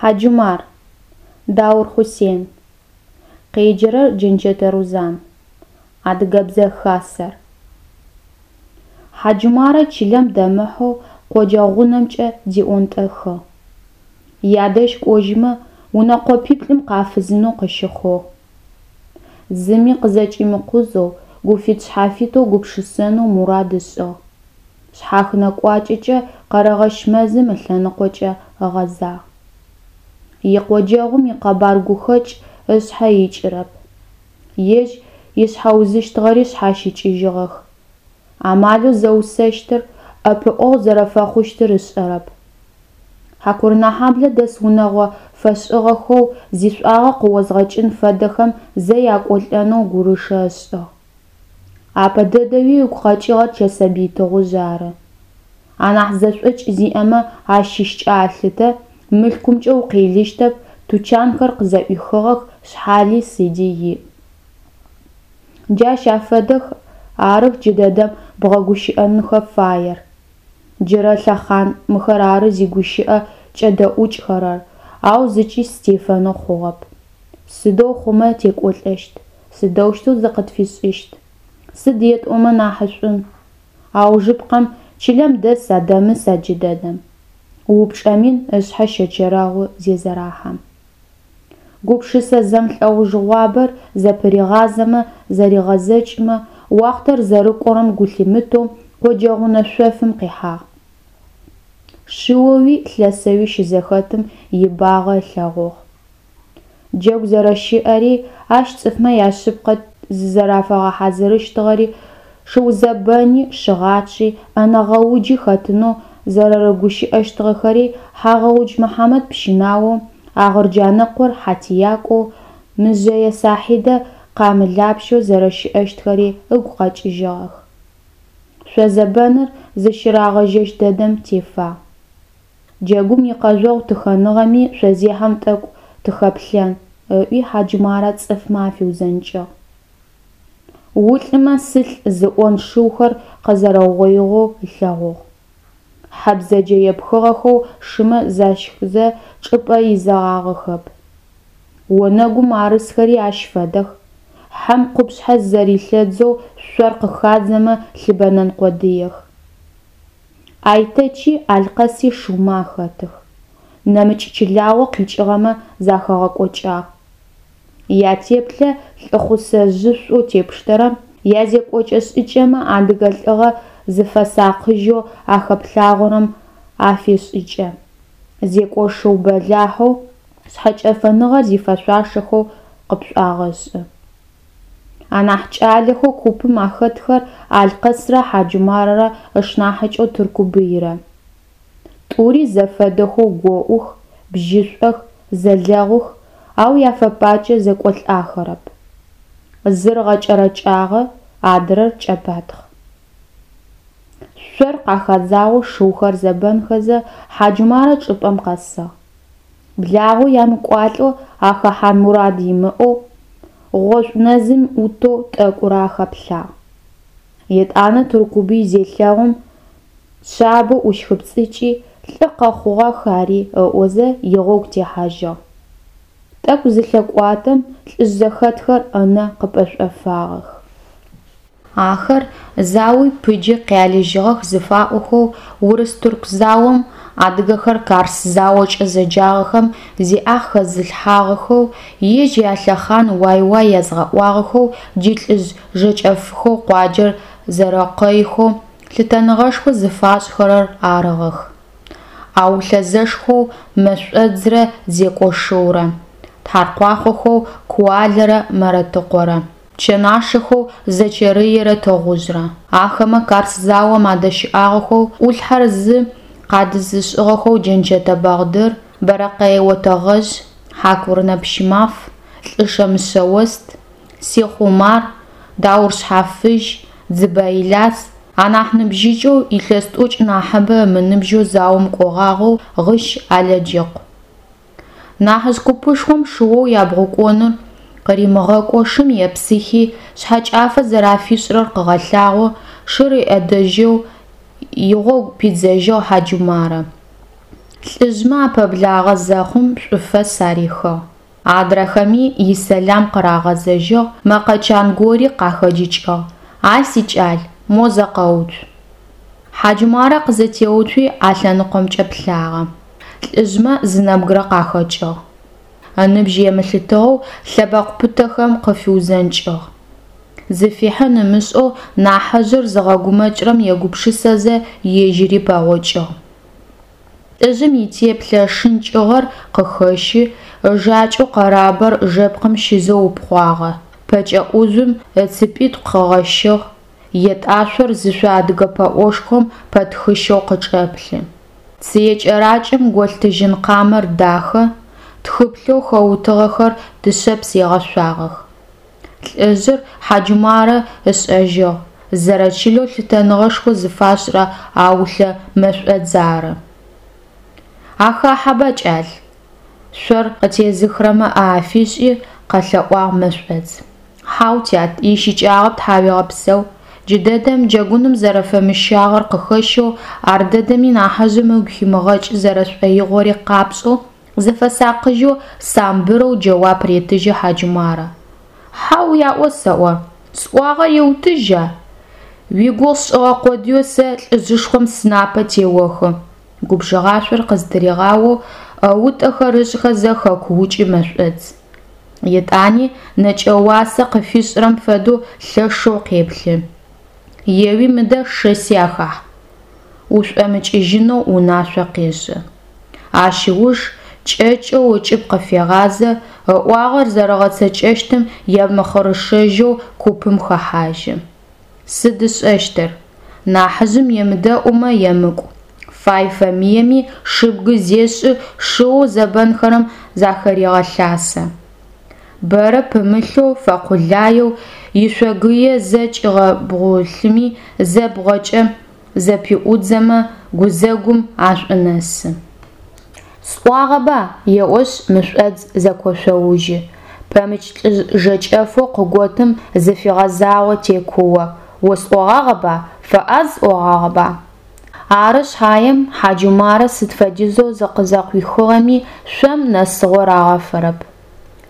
Хьаджумар. Даур Хъусен. Къеджэрэр Джэнчэтэ Рузан. Адыгэбзэ Хасэр. Хьаджумарэ чылэм дэмыхьэу къоджэ гъунэмкӏэ диӏонтӏэхыгъ. Ядэжь кӏожьымэ, унэ къопиплӏым къафызынэу къыщыхъугъ. Зыми къызэкӏимыкъузэу, гуфит-шъхьафитэу гупшысэнэу мурад ышӏыгъ. Шъхьахынэ кӏуачӏэкӏэ Къэрэгъэщ мэзым ылъэныкъокӏэ ыгъэзагъ. Икъоджэгъум икъэбар гухэкӏ ышъхьэ икӏырэп. Ежь ишъхьэузыщтыгъэри шъхьащыкӏыжьыгъэх. Амалэу зэусэщтыр, ӏэпыӏэгъу зэрэфэхъущтыр ышӏэрэп. Хьакурынэхьаблэ дэс унэгъо фэшӏыгъэхэу зишӏуагъэ къыозгъэкӏын фэдэхэм зэ якӏолӏэнэу гурышэ ышӏыгъ. Апэ дэдэуи ыгу къэкӏыгъэр Чэсэбый Тыгъужъ ары. Анахь зэшӏокӏ зиӏэмэ ащыщкӏэ алъытэ, мылъкумкӏэ укъелыщтэп, тучанхэр къызэӏуихыгъэх, шъхьали сыди иӏ. Джащ афэдэх арых джыдэдэм бгъэгущыӏэнхэ фаер. Джырэ лъэхъан мыхэр ары зигущыӏэ кӏэдэӏукӏхэрэр, ау зыкӏи сытефэнэу хъугъэп. Сыдэу хъумэ текӏолӏэщт, сыдэущтэу зыкъытфишӏыщт? Сыд етӏомэ нахьышӏун? Аужыпкъэм, чылэм дэса дэмыса джыдэдэм? Упчӏэ мин ышъхьэ щэчэрэгъу зезэрэхьэм. Гупшысэ зэмлӏэужыгъуабэр зэпыригъазэмэ зэригъэзэкӏымэ, уахътэр зэрэкӏорэм гу лъимытэу къоджэгъунэ шъофым къихьагъ. Шыоуи лъэсэуи щызэхэтым ибагъэ ылъэгъугъ. Джэгу зэрэщыӏэри, ащ цӏыфмэ яшъыпкъэ зызэрэфагъэхьазырыщтыгъэри, шыузэбэни, шыгъачъи, ӏэнэ гъэуджи хэтынэу зэрэрыгущыӏэщтыгъэхэри, Хьагъэудж Мыхьамэт пщынаоу, Агъырджанэкъор хьатиякӏоу, Мыжъэе Сахьидэ къамылапщэу зэрэщыӏэщтхэри ыгу къэкӏыжьыгъэх. Шъозэбэныр зыщырагъэжьэщт дэдэм тефагъ. Джэгум икъэжъогъу тыхэныгъэми шъозехьэм тӏэкӏу тыхэплъэн, ыӏуи Хьаджумарэ цӏыфмэ афиузэнкӏыгъ. Улӏымэ сылӏ зыӏон шыухэр къэзэрэугъоигъэу ылъэгъугъ. Хьэ бзэджэ епхыгъэхэу шымэ защхызэ чӏыпӏэ изэгъагъэхэп. Онэгум арысхэри ащ фэдэх, хьэм къупшъхьэ зэрилъэдзэу шъор къыхадзэмэ лъыбэнэн къодыех. Айтэчи Алъкъэси шыумэ ахэтых. Нэмыкӏ чылагъо къикӏыгъэмэ захагъэкӏокӏагъ. Ятеплъэ лӏыхъусэжъышӏоу тепштэрэм, язекӏокӏэ-шӏыкӏэмэ адыгэ лӏыгъэ зыфэсакъыжьэу ахэплъагъорэм афешӏыкӏы, зекӏошыу бэлахьэу, шъхьэкӏэфэныгъэр зифэшъуашэхэу къыпшӏуагъэшӏы. Анахь кӏалэхэу купым ахэтхэр Алъкъэсрэ Хьаджумарэрэ ышнахьыкӏэу Тыркубыйрэ. Тӏури зэфэдэхэу гоӏух, бжьышӏох, зэлэгъух, ау яфэпакӏэ зэкӏолӏахэрэп. Зыр гъэкӏэрэкӏагъэ, адрэр кӏэпатхъ. Шъор къахадзагъэу шыухэр зэбэнхэзэ, Хьаджумарэ чӏыпӏэм къэсыгъ. Благъэу ямыкӏуалӏэу ахэхьан мурад имыӏэу, гъошӏу нэзым ӏутэу тӏэкӏурэ ахэплъагъ. Етӏанэ Тыркубый зелъэгъум, шъабэу ӏущхыпцӏыкӏи, лӏы къэхъугъах ари ыӏозэ, игъогу техьажьыгъ. Тӏэкӏу зылъэкӏуатэм, лӏыжъ зэхэтхэр ынэ къыпэшӏофагъэх. Ахэр зауи пыджи къялыжьыгъэх зыфаӏохэу урыс-тырку заом, адыгэхэр Карс заокӏэ зэджагъэхэм зиӏахь хэзылъхьагъэхэу, ежь ялъэхъан уай-уай язгъэӏуагъэхэу джы лӏыжъ жэкӏэфхэу къуаджэр зэрэкъэйхэу лъытэныгъэшхо зыфашӏхэрэр арыгъэх. Аулъэ зэшхэу Мэшӏодзрэ Зекӏошыурэ, Тхьаркъуахъохэу Куалэрэ Мэрэтыкъорэ, Пчэнашэхэу Зэчэрыерэ Тыгъужърэ. Ахэмэ Карс заом адэщыӏагъэхэу ӏулъхьэр зы къадызышӏыгъэхэу Джэнчэтэ Бэгъдыр, Бэрэкъэе Отэгъэжъ, Хьакурынэ Пщымаф, Лӏышэ Мышъэост, Сихъу Умар, Даур Шъхьафыжь, Дзыбэ Иляс, анахь ныбжьыкӏэу, илъэс тӏокӏ нахьыбэ ымыныбжьэу заом кӏогъагъэу Гъыщ Алэджыкъу. Нахьыжъ купышхом шыоу ябгъукӏоныр къыримыгъэкӏоу шым епсыхи, шъхьэкӏафэ зэрафишӏырэр къыгъэлъагъоу, шыр ыӏэдэжьэу игъогу пидзэжьыгъ Хьаджумарэ. Лӏыжъмэ апэблагъэ зэхъум, шӏуфэс арихыгъ. Адрэхэми исэлам къырагъэзэжьыгъ, мэкъэ чан гори къахэджыкӏыгъ, А сикӏал, мо зэ къэуцу. Хьаджумарэ къызэтеуцуи, а лъэныкъомкӏэ плъагъэ. Лӏыжъмэ зы нэбгырэ къахэкӏыгъ. Ыныбжь емылъытыгъэу лъэбэкъу пытэхэм къыфиузэнкӏыгъ. Зыфихьын ымышӏэу нахьыжъыр зыгъэгумэкӏрэм егупшысэзэ, ежьыри пэгъокӏыгъ. Лӏыжъым итеплъэ шынкӏыгъэр къыхэщы, ыжакӏэу къэрабэр жэпкъым щизэу упхъуагъэ, пэкӏэ ӏужъум ыцыпитӏу къыгъэщыгъ, етӏашъор зышъо адыгэ пэӏошхом пэтхыщэу къычӏэплъы. Цые кӏэракӏэм голъ тыжьын къамэр дахэ, тхыплъэу хэутыгъэхэр дышъэпс егъэшъуагъэх. Лӏыжъыр Хьаджумарэ ышӏэжьыгъ, зэрэчылэу лъытэныгъэшхо зыфашӏырэ Аулъэ Мэшӏодз ары. Ахахьэба, кӏал? Шъор къытезыхрэмэ ӏэ афишӏи, къэлъэӏуагъ Мэшӏодз. Хьау, тят, ищыкӏагъэп, тхьауегъэпсэу. Джыдэдэм джэгуным зэрэфэмыщагъэр къыхэщэу, ардэдэми нахьыжъым ыгу химыгъэкӏы зэрэшӏоигъори къапшӏэу, зыфэсакъыжьэу самбырэу джэуап ретыжьы Хьаджумарэ. Хьау яӏо сэӏо, сӏуагъэр еутыжьа? Уигугъу сшӏыгъэ къодыеу сэ лӏыжъышхом сынапэ теохы, губжыгъашъор къызтыригъаоу ӏэутӏэхэр ышӏхэзэ хэкуукӏы Мэшӏодз. Етӏани нэкӏэ уасэ къыфишӏрэм фэдэу лъэшэу къеплъы. Еуи мыдэ шэси ахахь. Ушӏомыкӏыжьынэу унашъо къешӏы. Ащ ыуж кӏэкӏэу ыкӏыб къыфегъазэ, ыӏуагъэр зэрэгъэцэкӏэщтым емыхъырышэжьэу купым хэхьажьы. Сыд ышӏэщтыр? Нахьыжъым емыдэӏумэ емыкӏу. Фай-фэмыеми шыбгы зешӏы, шыоу зэбэнхэрэм захерегъэлъасэ. Бэрэ пымылъэу, фэкъулаеу, ишъогые зэ кӏигъэбгъулъыми, зэ бгъэкӏэ зэпиӏудзэмэ, гузэгум ашӏунэсы. Сӏуагъэба, еӏошъ, Мэшӏодз зэкошъоужьы, пэмыкӏ лӏыжъ жэкӏэфэу къыготым зыфигъэзагъэу текуо, Осӏогъагъэба, фэӏаз сӏогъагъэба? Ары шъхьаем, Хьаджумарэ сыд фэдизэу зыкъызэкъуихыгъэми, шъом нэсыгъо рагъэфэрэп.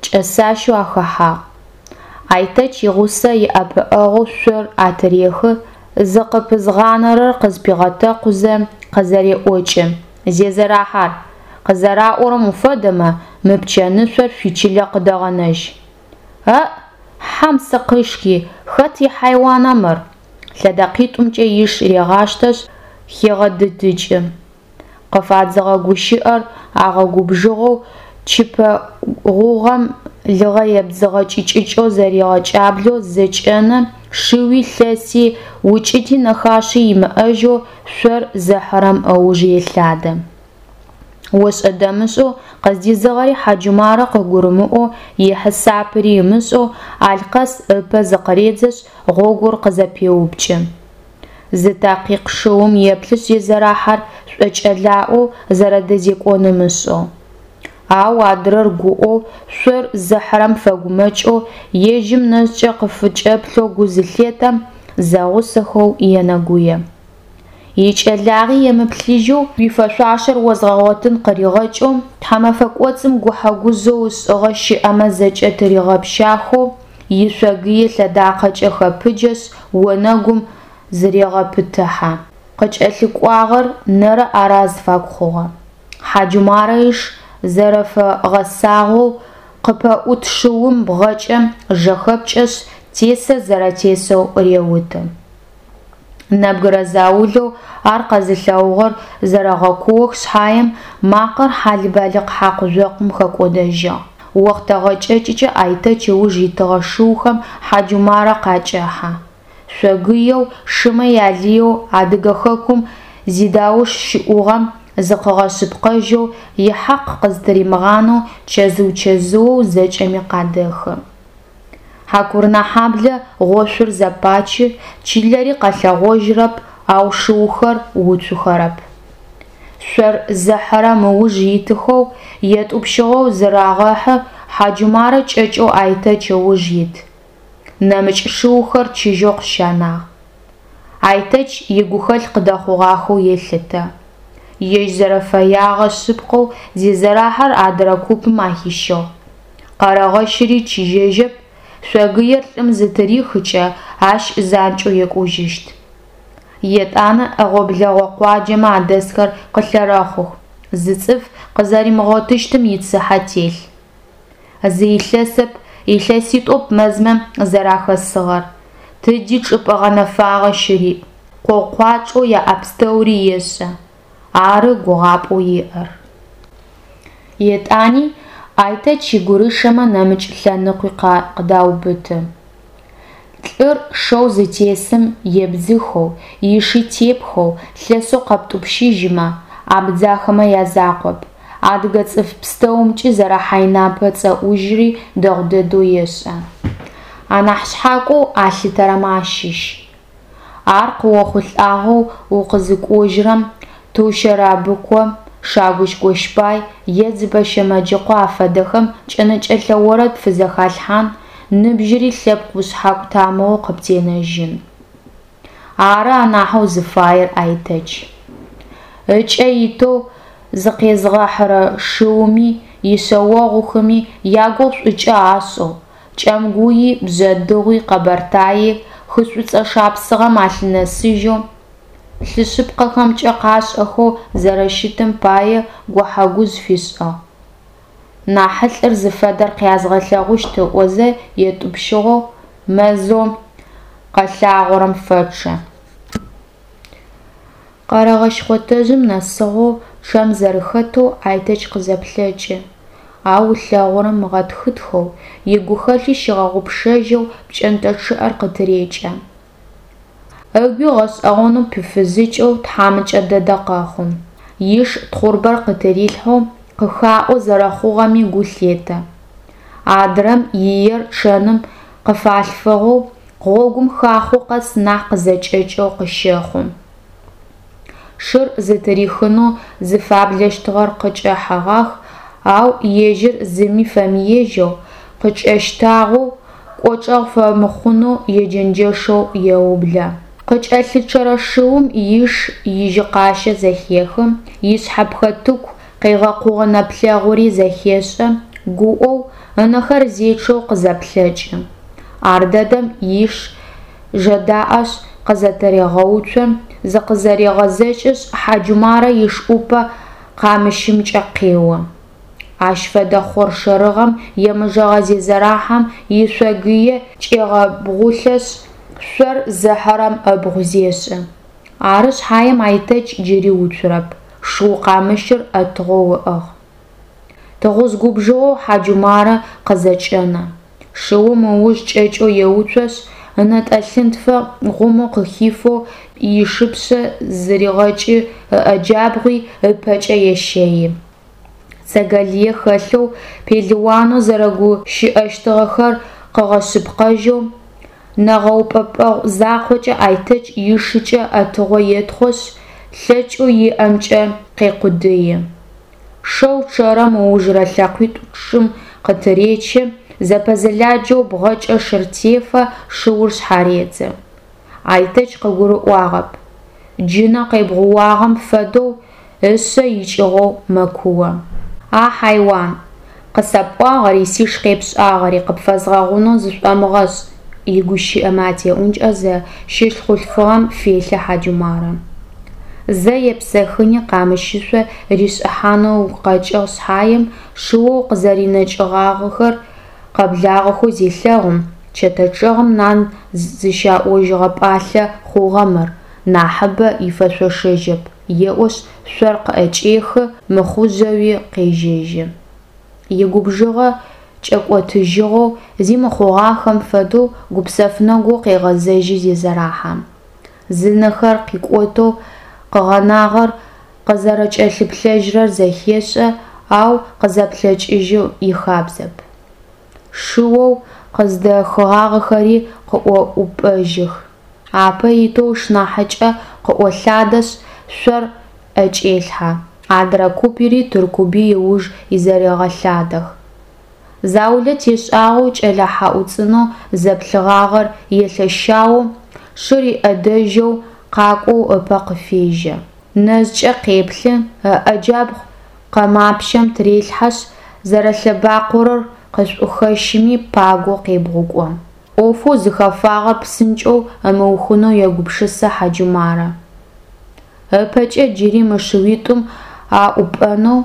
Кӏэсащэу ахэхьагъ. Айтэч игъусэ иӏэпыӏэгъоу шъор атырехы, зыкъыпызгъанэрэр къызпигъэтэкъузэ, къызэреӏокӏы, Зезэрахьэр, къызэраӏорэм уфэдэмэ, мы пчэнышъор шъуичылэ къыдэгъэнэжь. Аӏ, хьэм сыкъишхи, хэт ихьайуана мыр? Лъэдэкъитӏумкӏэ иш регъаштэшъ, хегъэдыдыкӏы. Къыфадзыгъэ гущыӏэр агъэгубжыгъэу чыпэ гъугъэм лыгъэ ебдзыгъэ кӏыкӏыкӏэу зэригъэкӏаблэу зэкӏэнэ, шыуи лъэси, укӏыти нэхаши имыӏэжьэу шъор зыхьырэм ыуж елъадэ. Ошӏэ-дэмышӏэу къыздизыгъэри Хьаджумарэ къыгурымыӏоу, ихьисапыри ымышӏэу Алъкъэс ыпэ зыкъыредзэшъ, гъогур къызэпеупкӏы. Зы такъикъ шыум еплъышъ Зезэрахьэр шӏокӏэлаӏоу зэрэдэзекӏон ымышӏэу. Ау адрэр гуӏэу, шъор зыхьырэм фэгумэкӏэу, ежьым нэшӏукӏэ къыфычӏэплъэу гу зылъетэм, зэгъусэхэу енэгуе. Икӏэлагъи емыплъыжьэу, уифэшъуашэр озгъэгъотын къыригъэкӏэу, тхьэмэфэ кӏоцӏым гухьэ-гужъэу ышӏыгъэ щыӏэмэ зэкӏэ тыригъэпщахэу, ишъогые лъэдакъэкӏэ хэпыджэшъ, онэгум зырегъэпытыхьэ. Къыкӏэлъыкӏуагъэр нэрэ-ӏэрэ азыфагу хъугъэ. Хьаджумарэ иш зэрэфэгъэсагъэу къыпэӏут шыум бгъэкӏэ жэхэпкӏэшъ, тесыр зэрэтесэу реуты. Нэбгырэ заулэу ар къэзылъэгъугъэр зэрэгъэкуох шъхьаем, макъэр хьалыбалыкъ хьакъу-жъокъум хэкӏодэжьыгъ. Охътэ гъэкӏэкӏыкӏэ Айтэч ыуж итыгъэ шыухэм Хьаджумарэ къакӏэхьэ. Шъогыеу, шымэ ялыеу Адыгэ хэкум зидауш щыӏугъэм зыкъыгъэшъыпкъэжьэу, ихьакъ къызтыримыгъанэу чэзыу-чэзыоу зэкӏэми къадэхы. Хьакурынэхьаблэ гъошъур зэпачы, чылэри къэлъэгъожьырэп, ау шыухэр уцухэрэп. Шъор зыхьырэм ыуж итыхэу, етӏупщыгъэу зырагъэхьы, Хьаджумарэ кӏэкӏэу Айтэч ыуж ит. Нэмыкӏ шыухэр чыжьэу къыщанагъ. Айтэч игухэлъ къыдэхъугъахэу елъытэ. Ежь зэрэфэягъэ шъыпкъэу Зезэрахьэр адырэ купым ахищыгъ. Къэрэгъэщыри чыжьэжьэп, шъогыер лӏым зытырихыкӏэ, ащ занкӏэу екӏужьыщт. Етӏанэ ӏэгъо-блэгъо къуаджэмэ адэсхэр къылъэрэхъух, зы цӏыф къызэримыгъотыщтым ицыхьэ телъ. Зы илъэсэп, илъэситӏоп мэзмэ зэрахэсыгъэр, тыди чӏыпӏэ гъэнэфагъэ щыриӏ, къогъу-къуачӏэу яӏэ пстэури ешӏэ, ары гугъапӏэу иӏэр. Етӏани Айтэч игурышэмэ нэмыкӏ лъэныкъуи къаубыты. Лӏыр шэу зытесым ебдзыхэу, иши тепхэу, лъэсэу къэптӏупщыжьымэ, абдзахэмэ язакъоп, адыгэ цӏыф пстэумкӏи зэрэхьайнэпэ цӏэӏужьри дэгъу дэдэу ешӏэ. Анахь шъхьакӏоу алъытэрэмэ ащыщ. Ар къыохъулӏагъэу укъызыкӏожьрэм, Тыу Щэрабыкъо, Шагудж Гощпай е Дзыбэ Щэмэджыкъо афэдэхэм кӏэнэкӏэлъэ орэд пфызэхалъхьан, ныбжьыри лъэпкъ ушъхьакӏу тамыгъэу къыптенэжьын. Ары анахьэу зыфаер Айтэч. Ыкӏэ итэу зыкъезгъэхьырэ шыуми, ишъэогъухэми ягугъу шӏукӏэ ашӏэу, Кӏэмгуи, Бжъэдыгъуи, Къэбэртаий, хы Шӏуцӏэ Шапсыгъэм алъынэсыжьэу, лӏы шъыпкъэхэмкӏэ къашӏэхэу зэрэщытым пае гухьэ-гужъ фишӏыгъ. Нахьылӏыр зыфэдэр къязгъэлъэгъущт ыӏозэ етӏупщыгъэу мэзэу къэлъагъорэм фэчъэ. Къэрэгъэщ хъотэжъым нэсыгъэу чъэм зэрэхэтэу Айтэч къызэплъэкӏы, ау ылъэгъурэм ыгъэтхытхэу, игухэлъи щигъэгъупшэжьэу пкӏэнтӏэ чъыӏэр къытырекӏэ. Ыгуи гъэшӏэгъонэу пыфызыкӏэу тхьамыкӏэ дэдэ къэхъу. Иш тхъурбэр къытырилъхьэу къыхаӏо зэрэхъугъэми гу лъетэ. Адрэм иер чъэным къыфалъфыгъэу, гъогум хахъо къэс нахь къызэкӏэкӏэу къыщэхъу. Шыр зытырихынэу зыфаблэщтыгъэр къыкӏэхьэгъах, ау ежьыр зыми фэмыежьэу, къыкӏэщтагъэу, кӏочӏэгъу фэмыхъунэу еджэнджэшэу еублэ. Къыкӏэлъычъэрэ шыум иш ижьыкъащэ зэхехы, ишъхьэпхэтыку къегъэкъугъэ нэплъэгъури зэхешӏэ, гуӏэу, ынэхэр зечъэу къызэплъэкӏы. Ардэдэм иш жэдаӏэшъ къызэтырегъэуцо, зыкъызэрегъэзэкӏышъ, Хьаджумарэ иш ӏупэ къамыщымкӏэ къео. Ащ фэдэ хъоршэрыгъэм емыжэгъэ Зезэрахьэм ишъогые кӏегъэбгъулъэшъ, шъор зыхьырэм ыбгъу зешӏы. Ары шъхьаем Айтэч джыри уцурэп, шыу къамыщыр ӏэтыгъэу ыӏыгъ. Тыгъужъ губжыгъэу Хьаджумарэ къызэкӏэнэ. Шыум ыуж кӏэкӏэу еуцошъ, ынэтӏэ лъынтфэ гъумэу къыхифэу ишыпшъэ зырегъэкӏы, ыӏэ джабгъуи ыпэкӏэ ещэи. Цэгэ лые хэлъэу, пелыуанэу зэрэгущыӏэщтыгъэхэр къыгъэшъыпкъэжьэу, нэгъэупӏэпӏэгъу закъокӏэ Айтэч ишыкӏэ ӏэтыгъо етхъошъ, лъэкӏэу иӏэмкӏэ къекъудыи. Шэу чъэрэм ыужырэ лъэкъуитӏу чӏым къытыречы, зэпэзэладжэу бгъэкӏэ шыр тефэ, шыур шъхьаредзы. Айтэч къыгурыӏуагъэп. Джынэ къебгъууагъэм фэдэу ышъэ икӏыгъэу мэкуо. А хьайуан, къысэпӏуагъэри сиш къепшӏагъэри къыпфэзгъэгъунэу зышӏомыгъэшӏ, игущыӏэмэ атеӏункӏэзэ, щылъ хъулъфыгъэм фелъэ Хьаджумарэ. Зэ епсэхыни къамыщышъо ришӏыхьанэу ыгу къэкӏыгъ шъхьаем, шыоу къызэринэкӏыгъагъэхэр къэблагъэхэу зелъэгъум, чэтэ чӏэгъым нан зыщаӏожьыгъэ пӏалъэ хъугъэ мыр, нахьыбэ ифэшъошэжьэп, еӏошъ, шъор къыӏэкӏехы, мыхъужьэуи къежьэжьы. Игубжыгъэ кӏэкӏотыжьыгъэу, зи мыхъугъахэм фэдэу гупсэф нэгоу къегъэзэжьы Зезэрахьэм. Зынэхэр къикӏотэу къыгъэнагъэр къызэрэкӏэлъыплъэжьрэр зэхешӏэ, ау къызэплъэкӏыжьы ихабзэп. Шыоу къыздэхыгъагъэхэри къыӏоӏупӏэжьых. Апэ итэу ышнахьыкӏэ къыӏолъадэшъ, шъор ӏэкӏелъхьэ, адрэ купри Тыркубый ыуж изэрегъэлъадэх. Заулэ тешӏагъэу кӏэлэ хьаӏу цӏынэу зэплъыгъагъэр елъэщаоу, шыр иӏэдэжьэу къакӏоу ыпэ къыфежьэ. Нэжъкӏэ къеплъы, ыӏэ джабгъу къэмапшъэм тырелъхьашъ, зэрэлъэбакъорэр къышӏухэщыми пагэу къебгъукӏо. ӏофэу зыхэфагъэр псынкӏэу ымыухынэу егупшысэ Хьаджумарэ. Ыпэкӏэ джыри мы шыуитӏум аӏупӏэнэу,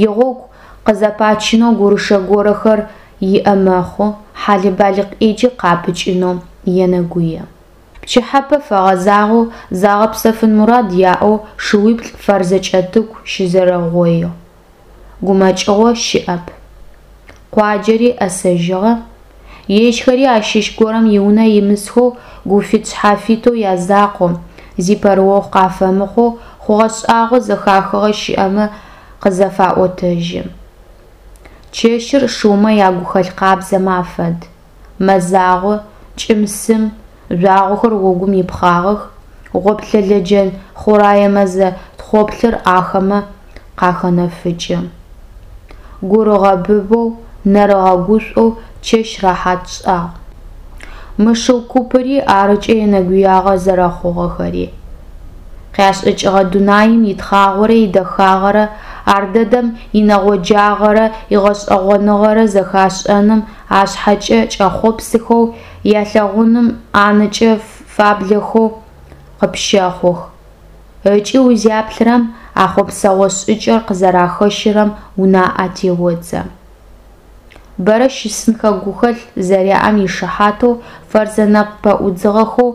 игъогу къызэпачынэу гурышэ горэхэр иӏэ мэхъу, хьалэ-балыкъ ӏэджи къапыкӏынэу енэгуе. Пчыхьэпэ фэгъэзагъэу, загъэпсэфын мурад яӏэу шыуиплӏ Фэрзэ Кӏэтыку щызэрэугъоигъ. Гумэкӏыгъо щыӏэп. Къуаджэри ӏэсэжьыгъэ, ежьхэри ащыщ горэм иунэ имысхэу гуфит-шъхьафитэу язакъоу, зи пэрыохъу къафэмыхъоу хъугъэ-шӏагъэу зэхахыгъэ щыӏэмэ къызэфаӏотэжьы. Чэщыр шыумэ ягухэлъ къабзэмэ афэд. Мэзагъо, кӏым-сым, жъуагъохэр огум ипхъагъэх, гъоплъэ лэджэн хъурае мэзэ тхъоплъыр ахэмэ къахэнэфыкӏы. Гур ыгъэбыбэу, нэр ыгъэгушӏоу чэщ рэхьат шӏагъу. Мы шыу купыри арыкӏэ енэгуягъо зэрэхъугъэхэри. Къяшӏэкӏыгъэ дунаим итхъагъорэ идэхагъэрэ, ардэдэм инэгъоджагъэрэ игъэшӏэгъоныгъэрэ зэхашӏэным ашъхьэкӏэ кӏэхъопсыхэу, ялъэгъуным анэкӏэ фаблэхэу къыпщэхъух. Ыкӏи узяплъырэм, а хъопсэгъо шӏыкӏэр къызэрахэщырэм унаӏэ теодзэ. Бэрэ щысынхэ гухэлъ зэряӏэм ишыхьатэу Фэрзэ нэпкъ пэӏудзыгъэхэу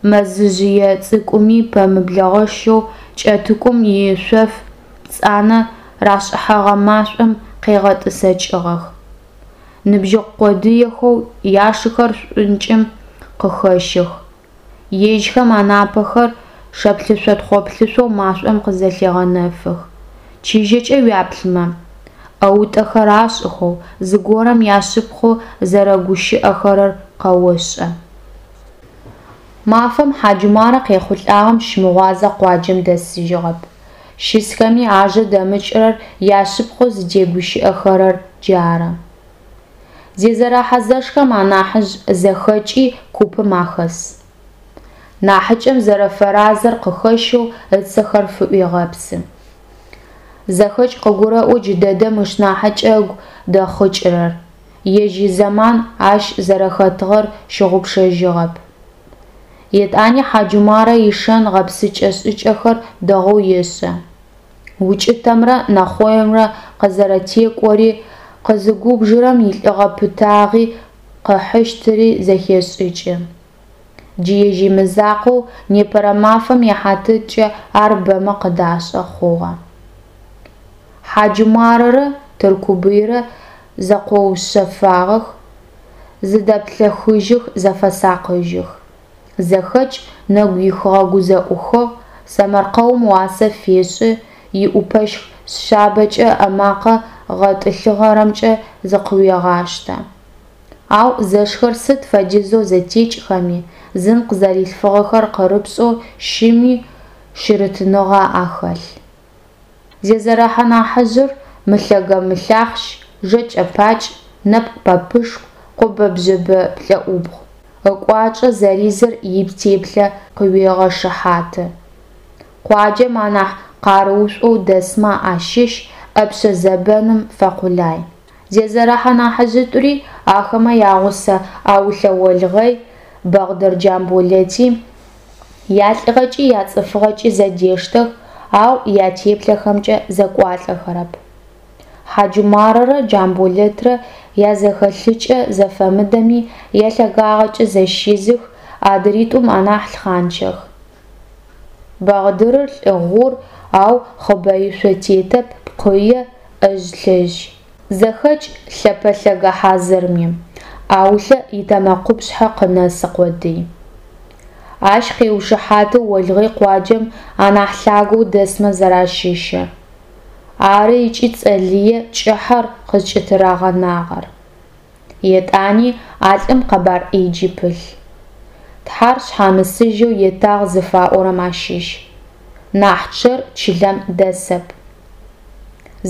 мэзыжъые цӏыкӏуми пэмыблэгъэщэу Кӏэтыкум ишъоф пцӏанэ рашӏыхьэгъэ машӏом къегъэтӏысэкӏыгъэх. Ныбжьыкъу къодыехэу яшыхэр шӏункӏым къыхэщых. Ежьхэм анапэхэр шэплъышъо-тхъоплъышъоу машӏом къызэлъегъэнэфых. Чыжьэкӏэ уяплъымэ, ӏэутӏэхэр ашӏыхэу, зыгорэм яшъыпкъэу зэрэгущыӏэхэрэр къэошӏэ. Мафэм Хьаджумарэ къехъулӏагъэм щымыгъуазэ къуаджэм дэсыжьыгъэп. Щысхэми ажэ дэмыкӏырэр, яшъыпкъэу зытегущыӏэхэрэр джары. Зезэрэхьэ зэшхэм анахьыжъ зэхэкӏи купым ахэс. Нахьыкӏэм зэрэфэразэр къыхэщэу ыцэхэр фыӏуегъэпсы. Зэхэкӏ къыгурэӏо джыдэдэм ышнахьыкӏэ ыгу дэхъыкӏырэр, ежь изэман ащ зэрэхэтыгъэр щыгъупшэжьыгъэп. Етӏани Хьаджумарэ ишэн гъэпсыкӏэ-шӏыкӏэхэр дэгъоу ешӏэ. Укӏытэмрэ нэхъоимрэ къызэрэтекӏори, къызыгубжырэм илӏыгъэ-пытагъи къыхьыщтыри зэхешӏыкӏы. Джы ежь имызакъоу, непэрэ мафэм ихьатыркӏэ ар бэмэ къыдашӏэ хъугъэ. Хьаджумарэрэ Тыркубыйрэ зэкъоушъэфагъэх, зыдэплъэхыжьых, зэфэсакъыжьых. Зэхэкӏ нэгу ихыгъэ гузэӏухыгъ, сэмэркъэум уасэ фешӏы, иӏупэщх шъабэкӏэ ымэкъэ гъэтӏылъыгъэрэмкӏэ зыкъыуегъаштэ. Ау зэшхэр сыд фэдизэу зэтекӏхэми, зын къызэрилъфыгъэхэр къырыпшӏэу щыми шъырытыныгъэ ахэлъ. Зезэрэхьэ нахьыжъыр мылъэгэ-мылъахъщ, жэкӏэ-пакӏ, нэпкъ-пэпышху, къобэ-бжъэбэ плӏэӏубгъу. Ыкӏуачӏэ зэризыр итеплъэ къыуегъэшыхьаты. Къуаджэм анахь къарыушӏоу дэсмэ ащыщ, ӏэпшъэ зэбэным фэкъулай. Зезэрэхьэ нахьыжъитӏури, ахэмэ ягъусэ Аулъэ Олгъэй, Бэгъдыр Джамболэти ялӏыгъэкӏи яцӏыфыгъэкӏи зэдештэх, ау ятеплъэхэмкӏэ зэкӏуалӏэхэрэп. Хьаджумарэрэ Джамболэтрэ язэхэлъыкӏэ зэфэмыдэми, ялъэгагъэкӏэ зэщизых, адыритӏум анахь лъхъанчэх. Бэгъдырыр лӏы гъур, ау хъыбэишъо тетэп, пкъые, ӏэжь-лъэжь. Зэхэкӏ лъэпэлъэгэ хьазырми, Аулъэ итэмэкъупшъхьэ къынэсы къодый. Ащ къеушыхьаты Олгъэй къуаджэм анахь лъагэу дэсмэ зэращыщыр. Ары ыкӏи цӏэ лые кӏыхьэр къызкӏытырагъэнагъэр. Етӏани а лӏым къэбар ӏэджи пылъ. Тхьар шъхьамысыжьэу етагъ зыфаӏорэм ащыщ. Нахь чъэр чылэм дэсэп.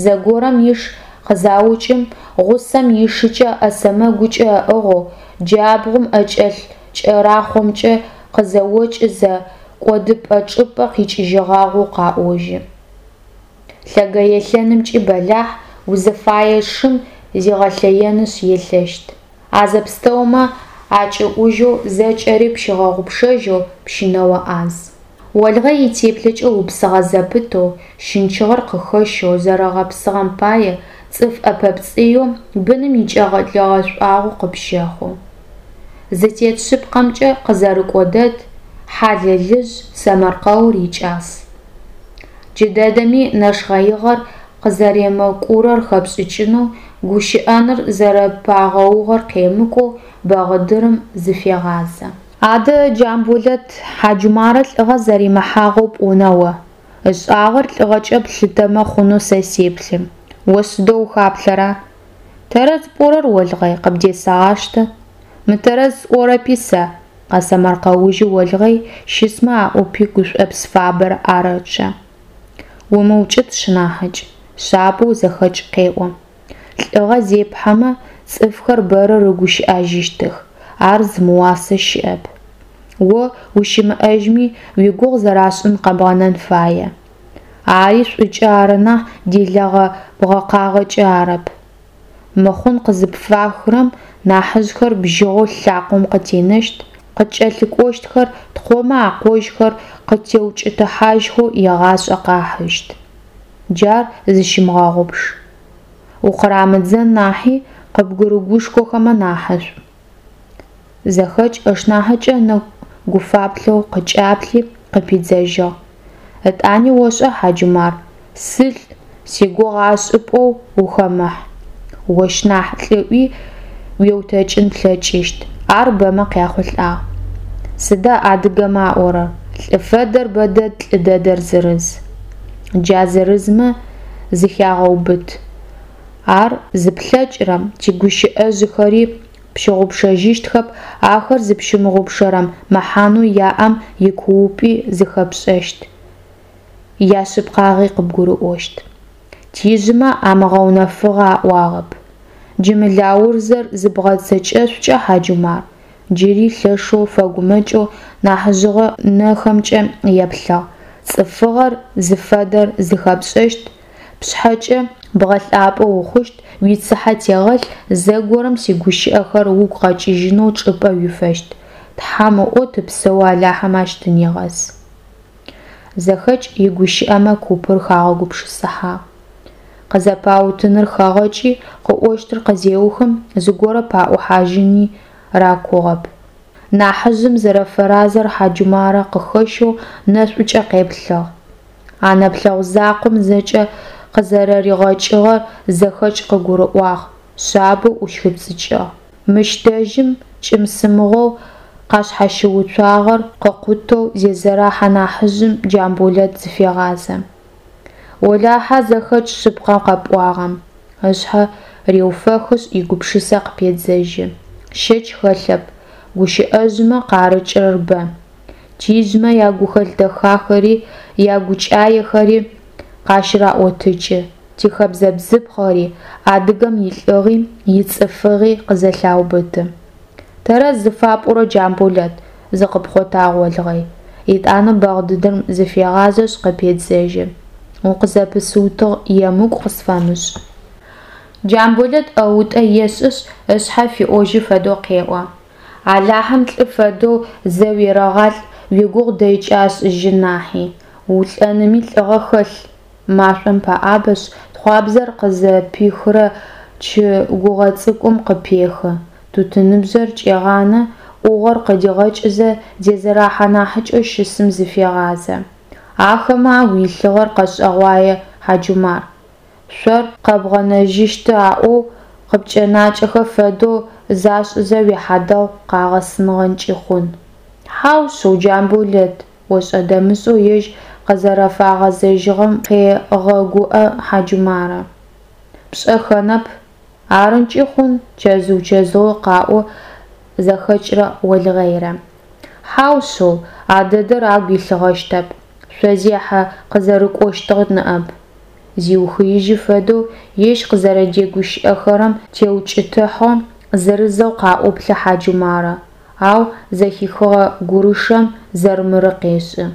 Зэгорэм иш къызаукӏым, гъусэм ишыкӏэ ӏэ сэмэгукӏэ ыӏыгъэу, джабгъум ӏэкӏэлъ кӏэрахъомкӏэ къызэокӏызэ, кӏодыпӏэ чӏыпӏэ къикӏыжьыгъагъэу къаӏожьы. Лъэгэелъэнымкӏи бэлахь, узыфае шым зигъэлъэенышъ елъэщт. А зэпстэумэ акӏыӏужьэу, зэкӏэри пщигъэгъупшэжьэу пщынэо ӏаз. Олгъэй итеплъэкӏэ упсыгъэ зэпытэу, щынчыгъэр къыхэщэу зэрэгъэпсыгъэм пае цӏыф ӏэпэпцӏыеу, быным икӏэлэ гъэшӏуагъэу къыпщэхъу. Зытет шъыпкъэмкӏэ къызэрыкӏо дэд, хьалэлыжъ, сэмэркъэур икӏас. Джыдэдэми нэшхъэигъэр къызэремыкӏурэр хэпшӏыкӏынэу, гущыӏэныр зэрэпагъэугъэр къемыкӏоу Бэгъыдырым зыфегъазэ. Адэ, Джамболэт, Хьаджумарэ лӏыгъэ зэримыхьагъэу пӏона о? Ышӏагъэр лӏыгъэкӏэ плъытэмэ хъунэу сэ сеплъы. О сыдэу ухаплъэра? Тэрэз пӏорэр, Олгъэй, къыбдесэгъаштэ. Мытэрэз сӏорэпи сэ, къэсэмэркъэужьы Олгъэй, щысмэ аӏупи гушӏопс фабэр арэчъэ. Умыукӏыт, сшынахьыкӏ, шъабэу зэхэкӏ къеӏо. Лӏыгъэ зепхьэмэ, цӏыфхэр бэрэ рыгущыӏэжьыщтых, ар зымыуасэ щыӏэп. О ущымыӏэжьми, уигугъу зэрашӏын къэбгъэнэн фае. Ари шӏукӏэ ары нахь делэгъэ-бгъэкъагъэкӏэ арэп. Мыхъун къызыпфахырэм нахьыжъхэр бжьыгъэу лъакъом къытенэщт, къыткӏэлъыкӏощтхэр, ткъомэ акъожьхэр къыттеукӏытыхьажьхэу егъашӏэ къахьыщт. Джар зыщымыгъэгъупш. Укъырамыдзэн нахьи, къыбгырыгушхохэмэ нахьышӏу. Зэхэкӏ ышнахьыкӏэ ынэгу гуфаплъэу къыкӏаплъи, къыпидзэжьыгъ. Ытӏани ошӏа, Хьаджумар, сылӏ, сигугъу ашӏы пӏоу ухэмыхь. Ощ нахь лӏыӏуи уеутэкӏын плъэкӏыщт, ар бэмэ къяхъулӏагъ. Сыда адыгэмэ аӏорэр, лӏы фэдэр бэдэд, лӏы дэдэр зырыз. Джа зырызмэ зыхягъэубыт. Ар зыплъэкӏырэм, тигущыӏэжъхэри пщыгъупшэжьыщтхэп, ахэр зыпщымыгъупшэрэм мэхьанэу яӏэм икуупӏи зыхэпшӏэщт, яшъыпкъагъи къыбгурыӏощт. Тижъымэ амыгъэунэфыгъэ аӏуагъэп. Джы мы Лаурзэр зыбгъэцэкӏэшъукӏэ, Хьаджумар, джыри лъэшэу фэгумэкӏэу нахьыжъыгъэ нэхэмкӏэ еплъыгъ, цӏыфыгъэр зыфэдэр зыхэпшӏэщт, пшъхьэкӏэ бгъэлъапӏэ ухъущт, уицыхьэ тегъэлъ, зэгорэм сигущыӏэхэр угу къэкӏыжьынэу чӏыпӏэ уифэщт, Тхьэм ыӏоу тыпсэоу Алахьэм ащ тынегъэс. Зэхэкӏ игущыӏэмэ купыр хагъэгупшысыхьагъ. Къызэпаутыныр хэгъэкӏи, къыӏощтыр къызеухым, зыгорэ паӏухьажьыни ракугъэп. Нахьыжъым зэрэфэразэр Хьаджумарэ къыхэщэу нэшӏукӏэ къеплъыгъ. А нэплъэгъу закъом зэкӏэ къызэрэригъэкӏыгъэр Зэхэкӏ къыгурыӏуагъ, шъабэу ӏущхыпцӏыкӏыгъ. Мыщ дэжьым кӏым-сымыгъэу къашъхьащыуцуагъэр къыкъутэу зезэрэхьэ нахьыжъым Джамболэт зыфегъазэ. Олахьэ, Зэхэкӏ шъыпкъэ къэпӏуагъэм, ышъхьэ реуфэхышъ, игупшысэ къыпедзэжьы. Щэч хэлъэп, гущыӏэжъмэ къарыкӏрэр бэ. Тижъмэ ягухэлъ дэхахэри, ягукӏаехэри къащыраӏотыкӏы, тихэбзэ-бзыпхъэри, адыгэм илӏыгъи, ицӏыфыгъи къызэлъаубыты. Тэрэз зыфапӏорэр, Джамболэт, зыкъыпхъотагъ Олгъэй. Етӏанэ Бэгъдыдым зыфегъазэшъ, къыпедзэжьы. Укъызэпысыутыгъ, емыкӏу къысфэмышӏ. Джамболэт ӏэутӏэ ешӏышъ, ышъхьэ фиӏожьы фэдэу къеӏо. Алахьэм лӏы фэдэу зэ уерэгъалӏ уигугъу дэйкӏэ ашӏыжьын нахьи, улӏэными лӏыгъэ хэлъ. Машӏом пэӏабэшъ, тхъуабзэр къызэпихырэ чы гугъэ цӏыкӏум къыпехы, тутыныбжъэр кӏегъанэ, ӏугъор къыдигъэкӏызэ, зезэрэхьэ нахьыкӏэу щысым зыфегъазэ. Ахэмэ агу илъыгъэр къэшӏэгъуае, Хьаджумар. Шъор къэбгъэнэжьыщт аӏоу къыпкӏэнакӏэхэ фэдэу зашӏызэ уихьадэгъу къагъэсыгъэнкӏи хъун. Хьау шъыу, Джамболэт, ошӏэ-дэмышӏэу ежь къызэрэфагъэзэжьыгъэм къегъэгуӏэ Хьаджумарэ. Пшӏэхэнэп. Арынкӏи хъун, чэзыу-чэзыоу къаӏо Зэхэкӏрэ Олгъэйрэ. Хьау шъыу, а дэдэр агу илъыгъэщтэп, шъозехьэ къызэрыкӏощтыгъ ныӏэп. Зиухыижьы фэдэу ежь къызэрэдэгущыӏэхэрэм теукӏытыхьэу зырызэу къаӏоплъэ Хьаджумарэ. ау зэхихыгъэ гурышэм зэрмыры къешӏы.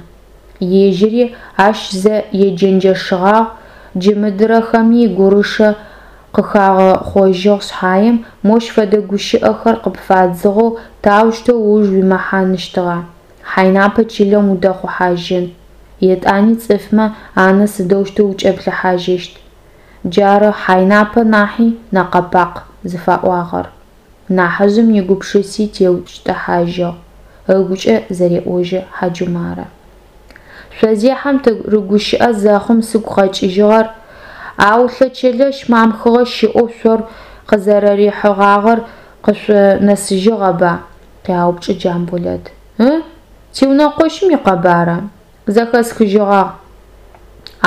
Ежьыри ащ зэ еджэнджэшыгъагъ, джы мыдырэхэми гурышэ къыхагъэхъожьыгъ шъхьаем, мощ фэдэ гущыӏэхэр къыпфадзыгъэу таущтэу ыуж уимыхьаныщтыгъа, хьайнапэ чылэм удэхъухьажьын, етӏани цӏыфмэ анэ сыдэущтэу укӏэплъыхьажьыщт. Джары хьайнапэ нахьи нэкъэ-пакъ зыфаӏуагъэр. Нахьыжъым игупшыси теукӏытыхьажьыгъ, ыгукӏэ зэреӏожьы Хьаджумарэ. Шъозехьэм тырыгущыӏэ зэхъум сыгу къэкӏыжьыгъэр, Аулъэ Чэлэщ Мамхыгъэ щыӏэу шъор къызэрэрихьыгъагъэр къышъунэсыжьыгъэба? къяупчӏы Джамболэт. Ы? Тиунэкъощым икъэбара? Зэхэсхыжьыгъагъ.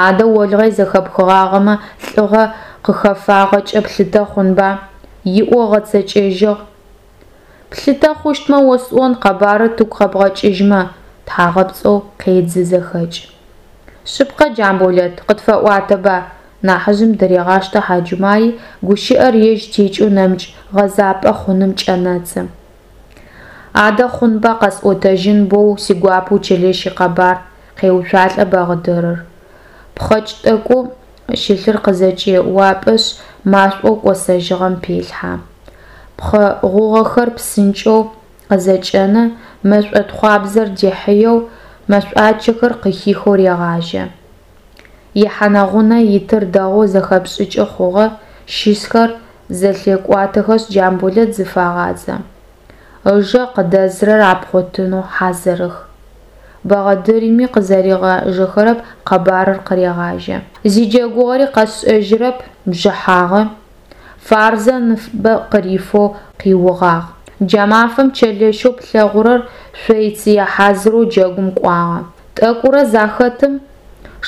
Адэ Олгъэй зэхэпхыгъагъэмэ лӏыгъэ къыхэфагъэкӏэ плъытэ хъунба, иӏо ыгъэцэкӏэжьыгъ. Плъытэ хъущтмэ осӏон, къэбарыр тыгу къэбгъэкӏыжьмэ, тхьагъэпцӏэу къедзы зэхэкӏ. Шъыпкъэ, Джамболэт, къытфэӏуатэба, нахьыжъым дырегъаштэ Хьаджумари, гущыӏэр ежь текӏэу нэмыкӏ гъэзапӏэ хъуным кӏэнэцӏы. Адэ хъунба, къэсӏотэжьын боу сигуапэу Чэлэщ икъэбар, къеуцуалӏэ Бэгъыдырыр. Пхъэкӏ тӏэкӏоу щылъыр къызэкӏеуапӏэшъ, машӏоу кӏосэжьыгъэм пелъхьэ. Пхъэ гъугъэхэр псынкӏэу къызэкӏэнэ, мэшӏо тхъуабзэр дихьыеу, мэшӏуачэхэр къыхихэу регъажьэ. Ихьанэ-гъунэ итыр дэгъоу зэхэпшӏыкӏы хъугъэ, щысхэр зэлъекӏуатэхэшъ Джамболэт зыфагъазэ. Ыжэ къыдэзырэр апхъотэнэу хьазырых. Бэгъэдырми къызэригъэжэхэрэп, къэбарыр къырегъажьэ. Зиджэгугъэри къэсшӏэжьырэп, бжыхьагъэ. Фарзэ ныбэ къырифэу къиугъагъ. Джа мафэм Чэлэщэу плъэгъурэр шъоицые хьазырэу джэгум кӏуагъэ. Тӏэкӏурэ захэтым,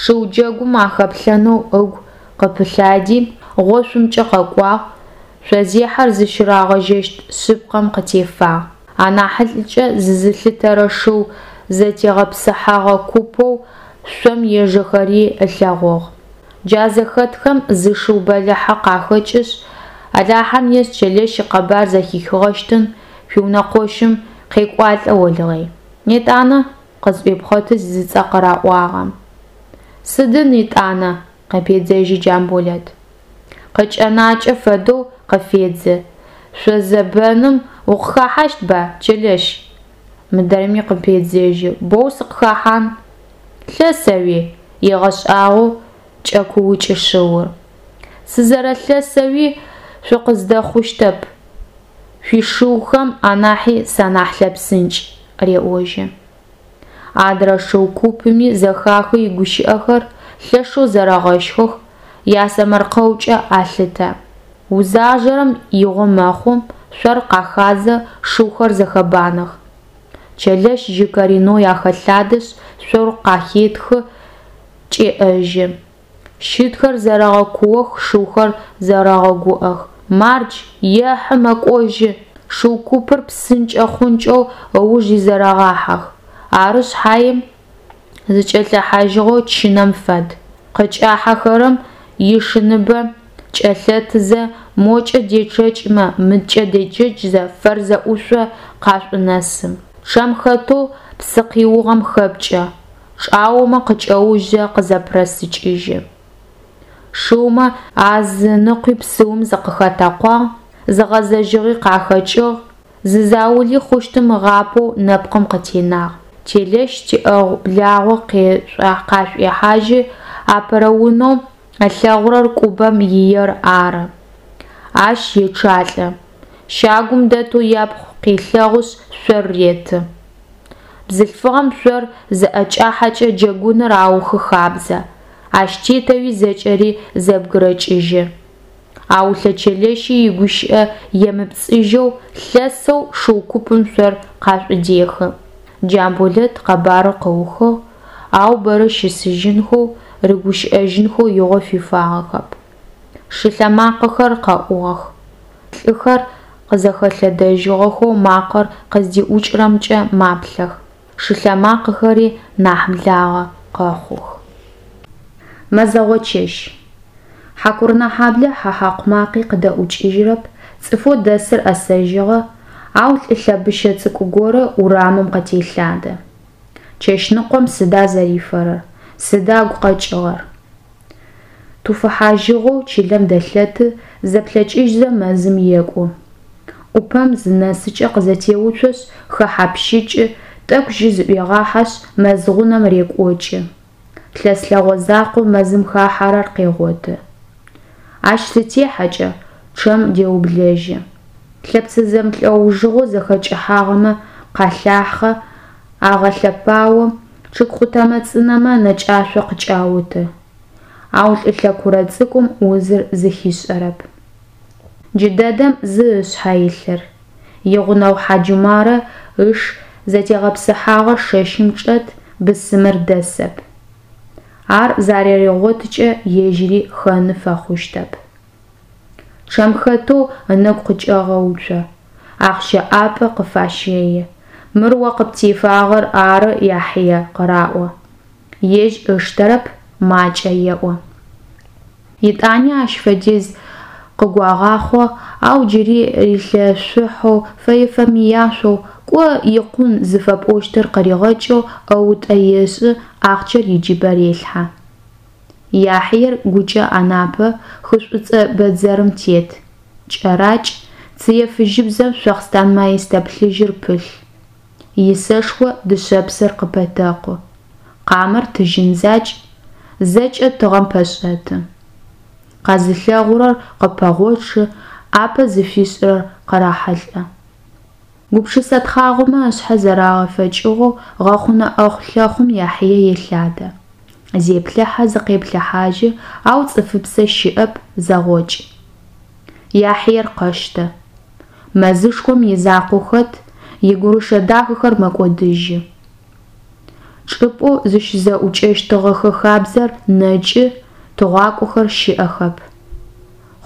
шыу джэгум ахэплъэнэу ыгу къыпылъади, гъошъумкӏэ къэкӏуагъ, шъозехьэр зыщырагъэжьэщт шъыпкъэм къытефагъ. Анахьылӏыкӏэ зызылъытэрэ шыу зэтегъэпсыхьэгъэ купэу шъом ежэхэри ылъэгъугъ. Джа зэхэтхэм зы шыу бэлахьэ къахэкӏышъ, Алахьэм ешӏ, Чэлэщ икъэбар зэхихыгъэщтын, шъуиунэкъощым къекӏуалӏэ Олгъэй. Етӏанэ? къызӏуепхъоты зыцӏэ къыраӏуагъэм. Сыдын етӏанэ? къыпедзэжьы Джамболэт. Къыкӏэнакӏэ фэдэу къыфедзы. Шъозэбэным укъыхэхьащтба, Чэлэщ? Мыдрэми къыпедзэжьы. Боу сыкъыхэхьан. Лъэсэуи? егъэшӏагъоу кӏэкуукӏы шыур. Сызэрэлъэсэуи шъукъыздэхъущтэп, шъуишыухэм анахьи санахь лъэпсынкӏ, реӏожьы. Адрэ шыу купми зэхахы игущыӏэхэр, лъэшэу зэрэгъэщхых, ясэмэркъэукӏэ алъытэ. Узажэрэм игъо мэхъу, шъор къахадзэ, шыухэр зэхэбанэх. Чэлэщ жьы коренэу ахэлъадэшъ, шъор къахетхы, кӏеӏэжьы. Щытхэр зэрэгъэкуох, шыухэр зэрэгъэгуӏэх. Мардж, ехьы, мэкӏожьы! Шыу купыр псынкӏэ-хъункӏэу ыуж изэрэгъахьэх. Ары шъхьаем, зыкӏэлъэхьажьыгъэу чынэм фэд. Къыкӏахьэхэрэм ишыныбэ кӏэлъэтызэ, мокӏэ дечъэкӏмэ, мыдкӏэ дечъэкӏзэ, Фэрзэ ӏушъо къашӏунэсы. Чъэм хэтэу псы къиугъэм хэпкӏэ, чӏаомэ къыкӏэужьзэ къызэпырэсыкӏыжьы. Шыумэ азыныкъуи псыум зыкъыхатэкъуагъ, зыгъэзэжьыгъи къахэкӏыгъ, зы заули хъущтым ыгъапэу нэпкъым къытенагъ. Чэлэщ тиӏэгъу-благъо къашӏуехьажьы, апэрэ унэу ылъэгъурэр Кӏубэм иер ары. Ащ ечъалӏэ. Щагум дэтэу япхъу къелъэгъушъ, шъор реты. Бзылъфыгъэм шъор зыӏэкӏахьэкӏэ джэгуныр аухы хабзэ, ащ тетэуи зэкӏэри зэбгырэкӏыжьы. Аулъэ Чэлэщи игущыӏэ емыпцӏыжьэу, лъэсэу шыу купым шъор къашӏудехы. Джамболэт къэбарыр къыухыгъ, ау бэрэ щысыжьынхэу, рыгущыӏэжьынхэу игъо фифагъэхэп. Шылъэмакъэхэр къэӏугъэх. Лӏыхэр къызэхэлъэдэжьыгъэхэу макъэр къыздиӏукӏырэмкӏэ маплъэх, шылъэмакъэхэри нахь благъэ къэхъух. Мэзэгъо чэщ. Хьакурынэхьаблэ хьэ хьакъу макъи къыдэӏукӏыжьырэп, цӏыфэу дэсыр ӏэсэжьыгъэ, Ау лӏы лъэбыщэ цӏыкӏу горэ урамым къытелъадэ. Чэщныкъом сыда зэрифэрэр, сыда ыгу къэкӏыгъэр? Туфыхьажьыгъэу чылэм дэлъэты, зэплъэкӏыжьзэ мэзым екӏу. ӏупэм зынэсыкӏэ къызэтеуцошъ, хэхьапщыкӏы, тӏэкӏу жьы зыӏуегъахьэшъ, мэз гъунэм рекӏокӏы. Лъэс лъэгъо закъоу мэзым хахьэрэр къегъоты. Ащ зытехьэкӏэ, чъэм деублэжьы. Лъэпцэ зэмылӏэужыгъо зэхэкӏыхьагъэмэ къалъахъэ, агъэлъэпао, чъыг къутэмэ цӏынэмэ нэкӏашъо къыкӏауты. Ау лӏы лъэкурэ цӏыкӏум узыр зыхишӏэрэп. Джыдэдэм зы ышъхьэ илъыр. Игъунэгъу Хьаджумарэ ыш зэтегъэпсыхьагъэ шэщым чӏэт, бысымыр дэсэп. Ар заригъотыкӏэ ежьыри хэны фэхъущтэп. Чъэм хэтэу ынэгу къыкӏегъэуцо, ахъщэ ӏапӏэ къыфащэи. Мыр о къыптефагъэр ары, Яхье, къыраӏо. Ежь ыштэрэп, макӏэ еӏо. Етӏани ащ фэдиз къыгуагъахъо, ау джыри рилъэшъухьэу, фэе-фэмыяшъоу, кӏо, икъун зыфэпӏощтыр къыригъэкӏэу ӏэутӏэ ешӏы, ахъщэр иджыбэ релъхьэ. Яхьиер гукӏэ Анапэ хы Шӏуцӏэ бэдзэрым тет. Кӏэракӏ, цые фыжьыбзэм шъохъстан маистэ плъыжьыр пылъ. Исэшхо дышъэпсыр къыпэтэкъу. Къамэр тыжьын закӏ, зэкӏэ тыгъэм пэшӏэты. Къэзылъэгъурэр къыпэгъочъы, ӏапэ зыфишӏырэр къырахьылӏэ. Гупшысэ тхъагъомэ ышъхьэ зэрагъэфэкӏыгъэу гъэхъунэ ӏэхъу-лъэхъум Яхьие елъадэ. Зеплъыхьэ, зыкъеплъыхьажьы, ау цӏыфыпсэ щыӏэп, зэгъокӏ. Яхьиер къэщтэ. Мэзышхом изакъоу хэт, игурышэ дахэхэр мэкӏодыжьы. Чӏыпӏэу зыщызэӏукӏэщтыгъэхэ хабзэр нэкӏы, тыгъуакӏохэр щыӏэхэп.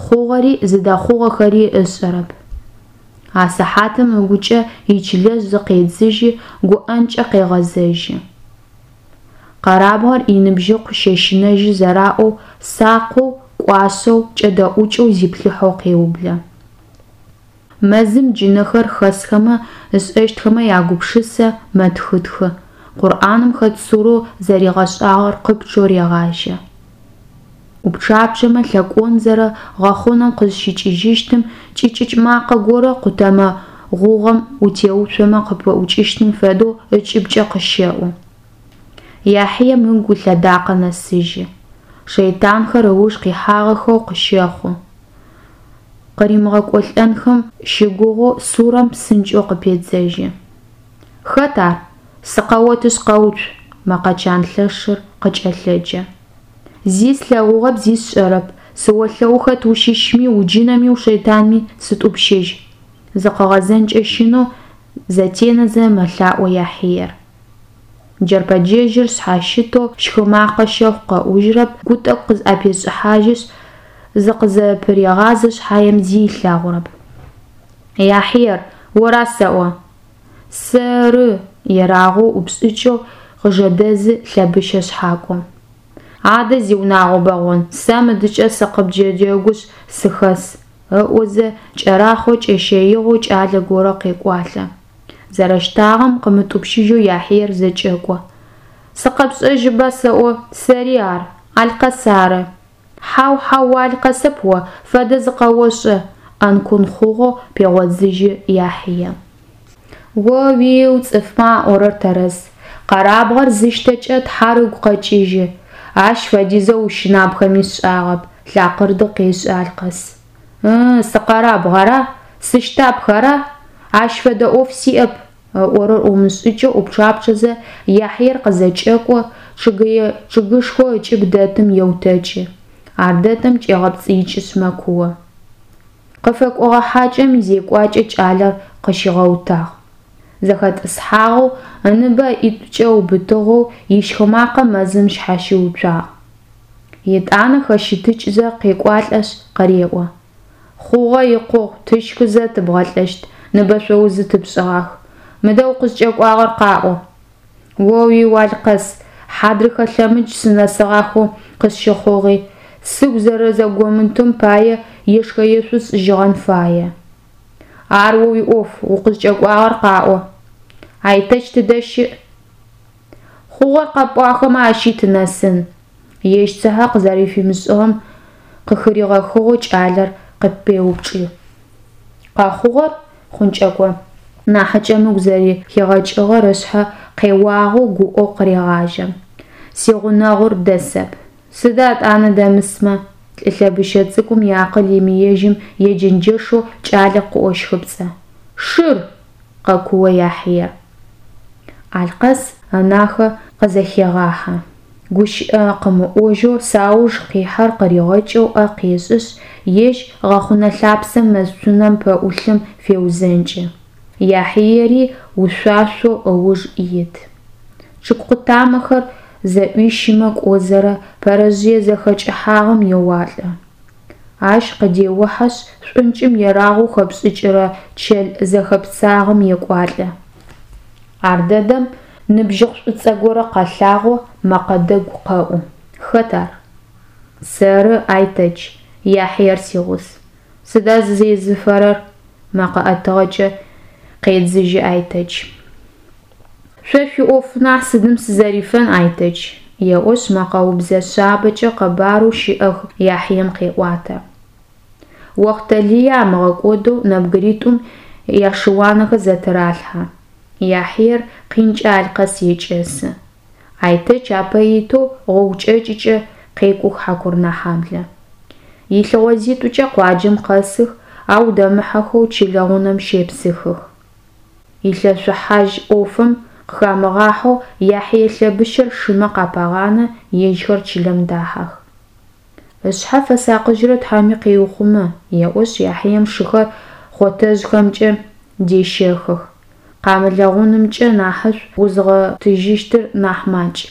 Хъугъэри зыдэхъугъэхэри ышӏэрэп. А сыхьатым ыгукӏэ ичылэжъ зыкъедзыжьи, гуӏэнкӏэ къегъэзэжьы. Къэрабгъэр иныбжьыкъу щэщынэжьы зэраӏоу, сакъэу, кӏуашъэу, кӏэдэӏукӏэу зиплъыхьэу къеублэ. Мэзым джынэхэр хэсхэмэ, ышӏэщтхэмэ ягупшысэ, мэтхытхы, Къурӏаным хэт сурэу зэригъэшӏагъэр къыпчъэу регъажьэ. ӏупчъапчъэмэ лъэкӏонзэрэ гъэхъунэм къызщикӏыжьыщтым кӏыкӏыкӏ макъэ горэ къутэмэ гъугъэм утеуцомэ къыпыӏукӏыщтым фэдэу ыкӏыбкӏэ къыщэӏу. Яхьием ыгу ылъэдакъэ нэсыжьы. Шэйтанхэр ыуж къихьагъэхэу къыщэхъу. Къыримыгъэкӏолӏэнхэм щыгугъэу сурэм псынкӏэу къыпедзэжьы. Хэт ар? Сыкъэотышъ къэуцу! мэкъэ чан лъэшыр къыкӏэлъэджэ. Зи слъэгъугъэп, зи сшӏэрэп, сыолъэӏу хэт ущыщми, уджынэми ушэйтанми сытӏупщыжь! Зыкъыгъэзэнкӏэ щынэу зэтенэзэ мэлъаӏо Яхьиер. Джэрпэджэжьыр шъхьащытэу щхы макъэ щэхъу къэӏужьрэп, гу тӏэкӏу къызӏэпешӏыхьажьышъ, зыкъызэпырегъазэ шъхьаем зи ылъэгъурэп. Яхьиер, ора сэӏо? Сэры! ерагъэу ӏупшӏыкӏэу къыжэдэзы лъэбыщэ шъхьакӏом. Адэ, зиунагъо бэгъон, сэ мыдыкӏэ сыкъыбдэджэгушъ сыхэс, ыӏозэ, кӏэрахъор кӏэщэигъэу кӏалэ горэ къекӏуалӏэ. Зэрэщтагъэм къымытӏупщыжьэу Яхьиер зэкӏэкӏо. Сыкъэпшӏэжьыба сэӏо, сэри ар, Алъкъэс ары. Хьау, хьау, у Алъкъэсэп о, фэдэ зыкъэошӏы, ӏэнкун хъугъэу пегъодзыжьы Яхьие. О-уиу, цӏыфмэ аӏорэр тэрэз, къэрабгъэр зыщтэкӏэ Тхьэр ыгу къэкӏыжьы, ащ фэдизэу ущынабхэми сшӏагъэп, лакъырды къешӏы Алъкъэс. Ы-ы, сыкъэрабгъ ара? Сыщтапх ара? Ащ фэдэ ӏоф сиӏэп, ыӏорэр ӏуимышӏыкӏэу ӏупчъапчъэзэ, Яхьиер къызэкӏэкӏо, чъыгэе чъыгышхоу ыкӏыб дэтым еутэкӏы, ардэдэм кӏегъэпцӏыикӏышъ мэкуо. Къыфэкӏогъэ хьакӏэм изекӏуакӏэ кӏалэр къыщигъэутагъ. Зэхэтӏысхьагъэу, ыныбэ ыӏитӏукӏэ ыубытыгъэу ищхы макъэ мэзым шъхьащиуцуагъ. Етӏанэ хэщытыкӏзэ къекӏуалӏэшъ къыреӏо, Хъугъэ, икъугъ, тыщхызэ тыбгъэлӏэщт, ныбэшъоузы тыпшӏыгъах. Мыдэ укъызкӏэкӏуагъэр къаӏо. О-уиу, Алъкъэс, хьадрыхэ лъэмыдж сынэсыгъахэу къысщыхъугъи, сыгу зэрэзэгомытым пае ешхэ-ешъу сшӏыжьыгъэн фае. Ар о уиӏоф, укъызкӏэкӏуагъэр къаӏо. Айтэч тыдэ щыӏ? Хъугъэр къэпӏуахэмэ ащи тынэсын, ежь цыхьэ къызэрэфимышӏыгъэм къыхыригъэхыгъэу кӏалэр къыпеупкӏы. Къэхъугъэр? Хъункӏэкӏо нахьыкӏэм ыгу зэрэхигъэкӏыгъэр ышъхьэ къеуагъэу гуӏэу къырегъажьэ. Сигъунэгъур дэсэп. Сыда етӏанэ дэмысмэ? Лӏы лъэбыщэ цӏыкӏум иакъыл имыежьым еджэнджэшэу кӏалэр къыӏощхыпцӏэ. Шыр! къэкуо Яхьие. Алъкъэс ынахэ къызэхегъахьэ. Гущыӏэ къымыӏожьэу сауж къихьэр къыригъэкӏэу ӏэ къешӏышъ, ежь гъэхъунэ лъапсэм мэз цунэм пэӏулъым феузэнкӏы. Яхьиери ушъуашъоу ыуж ит. Чъыг къутамэхэр зэӏуищымэ кӏозэрэ пэрэжъые зэхэкӏыхьагъэм еуалӏэ. Ащ къыдеухьэшъ, шӏункӏым ерагъэу хэпшӏыкӏырэ чэл зэхэпцагъэм екӏуалӏэ. Ардэдэм ныбжьыкъу шӏуцӏэ горэ къэлъагъо, мэкъэ дэгу къэӏу. Хэт ар? Сэры, Айтэч, Яхьиер сигъус. Сыда зызезыфэрэр? мэкъэ ӏэтыгъэкӏэ къедзыжьы Айтэч. Шъо шъуиӏоф нахь сыдым сызэрифэн, Айтэч, еӏошъ, мэкъэубзэ шъабэкӏэ къэбарэу щыӏэх Яхьием къеӏуатэ. Охътэ лые амыгъэкӏодэу нэбгыритӏум яшыуанэхэр зэтыралъхьэ. Яхьиер къинкӏэ Алъкъэс екӏэсы. Айтэч апэ итэу гъогу кӏэкӏыкӏэ къекӏух Хьакурынэхьаблэ. Илъыгъозитӏукӏэ къуаджэм къэсых, ау дэмыхьэхэу чылэ гъунэм щепсыхых. Илъэшъухьажь ӏофым къыхамыгъахьэу Яхьие лъэбыщэр шымэ къапагъанэ, ежьхэр чылэм дахьэх. Ышъхьэ фэсакъыжьрэ Тхьэми къеухъумэ, еӏошъ, Яхьием шыхэр хъотэжъхэмкӏэ дещэхых. Къамылэгъунымкӏэ нахьышӏу узыгъотыжьыщтыр нахь макӏ.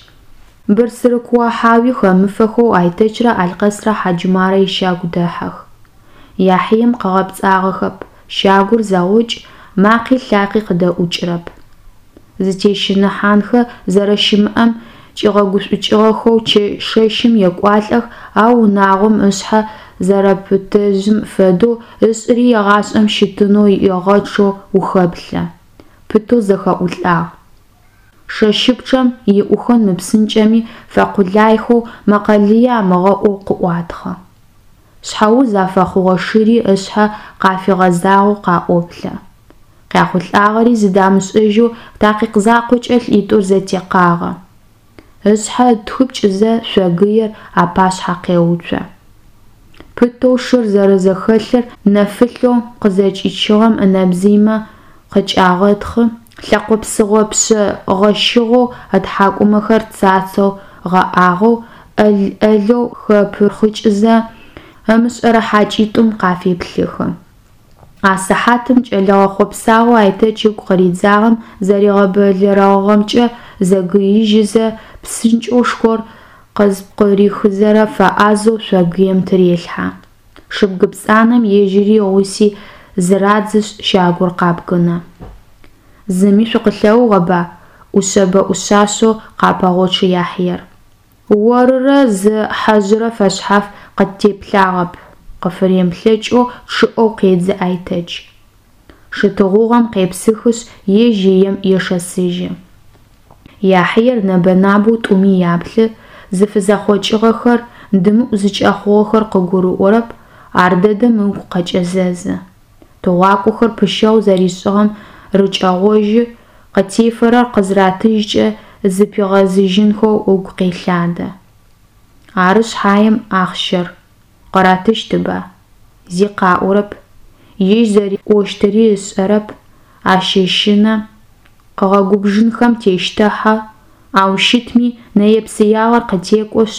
Бырсырыкуо-хьауи хэмыфэхэу Айтэчрэ Алъкъэсрэ Хьаджумарэ ищагу дэхьэх. Яхьием къыгъэпцӏагъэхэп, щагур зэгъокӏ, макъи лъакъи къыдэӏукӏырэп. Зытещыныхьанхэ зэрэщымыӏэм кӏигъэгушӏукӏыгъэхэу шэщым екӏуалӏэх, ау унагъом ышъхьэ зэрэпытэжъым фэдэу ышӏыри егъашӏэм щытынэу егъэчъэу ухэплъэ. Пытэу зэхэӏулӏагъ. Шэщыпчъэм иӏухэн мыпсынкӏэми фэкъулайхэу мэкъэ лые амыгъэӏоу къыӏуатхъэ. Шъхьэуз афэхъугъэ шыри ышъхьэ къафигъэзагъэу къаӏоплъэ. Къяхъулӏагъэри зыдамышӏэжьэу такъикъ закъокӏэ лӏитӏур зэтекъагъэ. Ышъхьэ ытхыпкӏызэ шъогыер апашъхьэ къеуцо. Пытэу шыр зэрэзэхэлъыр нэфылъэу къызэкӏичыгъэм ынэбзыймэ къыкӏагъэтхъы, лъэкъо псыгъо пшъэ гъэщыгъэу, ытхьакӏумэхэр цацэу гъэӏагъэу, ӏэл-ӏэлэу хэпырхъыкӏызэ, ымышӏэрэ хьакӏитӏум къафеплъыхы. А сыхьатым кӏэлэгъэ хъопсагъоу Айтэч ыгу къыридзагъэм зэригъэбэлэрэгъыгъэмкӏэ зэгыижьызэ, псынкӏэу шхор къызпкъырихызэрэ фэӏазэу шъогыем тырелъхьэ. Шыбгы пцӏанэм ежьыри игъуси зырадзышъ, щагур къабгынэ. Зыми шъукъылъэгъугъэба? ӏушъэбэ-ӏушъашъэу къапэгъочъы Яхьиер. Орырэ зы хьэжъырэ фэшъхьаф къыттеплъагъэп, къыфыремыплъэкӏэу чъыӏэу къедзы Айтэч. Шы тыгъугъэм къепсыхышъ, ежь ием ешэсыжьы. Яхьиер нэбэ-набэу тӏуми яплъы, зыфызэхъокӏыгъэхэр, дымыӏу зыкӏэхъугъэхэр къыгурыӏорэп, ардэдэм ыгу къэкӏэзэзы. Тыгъуакӏохэр пыщэгъу зэришӏыгъэм рыкӏэгъожьы, къытефэрэр къызыратыжькӏэ зыпигъэзыжьынхэу ыгу къелъадэ. Ары шъхьаем ахъщэр къыратыщтыба? Зи къаӏорэп. Ежь зэриӏощтыри ышӏэрэп, ащэщынэ, къыгъэгубжынхэм тещтыхьэ, ау щытми нэе-псыягъэр къытекӏошъ,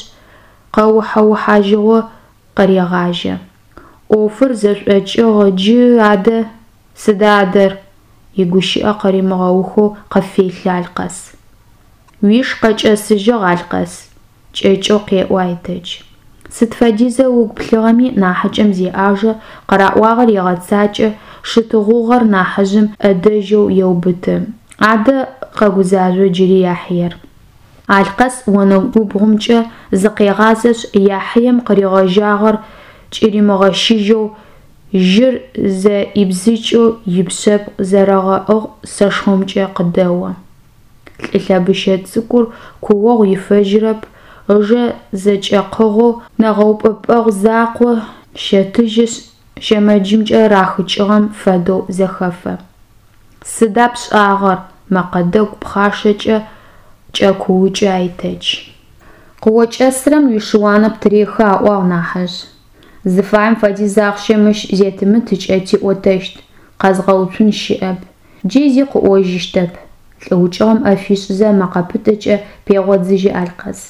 къэухьэ-ухьажьыгъо къырегъажьэ. ӏофыр зэшӏокӏыгъ джы, адэ? Сыда адэр? Игущыӏэ къыримыгъэухэу къыфелъы Алъкъэс. Уиш къэкӏэсыжьыгъ, Алъкъэс, кӏэкӏэу къеӏо Айтэч. Сыд фэдизэу ыгу плъыгъэми, нахьыкӏэм зеӏажэ, къыраӏуагъэр егъэцакӏэ, шы тыгъугъэр нахьыжъым ӏэдэжьэу еубыты. Адэ, къэгузажъо джыри Яхьиер. Алъкъэс онэгубгъумкӏэ зыкъегъазэшъ, Яхьием къыригъэжьагъэр кӏыримыгъэщыжьэу Жьыр зэӏибзыкӏэу ипшъэбгъу зэрегъэӏыгъ сэшхомкӏэ къыдэо. Лӏы лъэбыщэ цӏыкӏур куогъу ифэжьырэп, ыжэ зэкӏэкъыгъэу нэгъэупӏэпӏэгъу закъо щэтыжьышъ, щэмэджымкӏэ рахыкӏыгъэм фэдэу зэхэфэ. Сыда пшӏагъэр? мэкъэ дэгу пхъашэкӏэ кӏэкуукӏы Айтэч. Къыокӏэсырэм уишыуанэ птырехы аӏуагъ, нахьыжъ. Зыфаем фэдиз ахъщэ мыщ зетымытыкӏэ тиӏотэщт, къэзгъэуцун щыӏэп. Джы зи къыӏожьыщтэп, лӏы укӏыгъэм ӏэ фишӏызэ мэкъэ пытэкӏэ пегъодзыжьы Алъкъэс.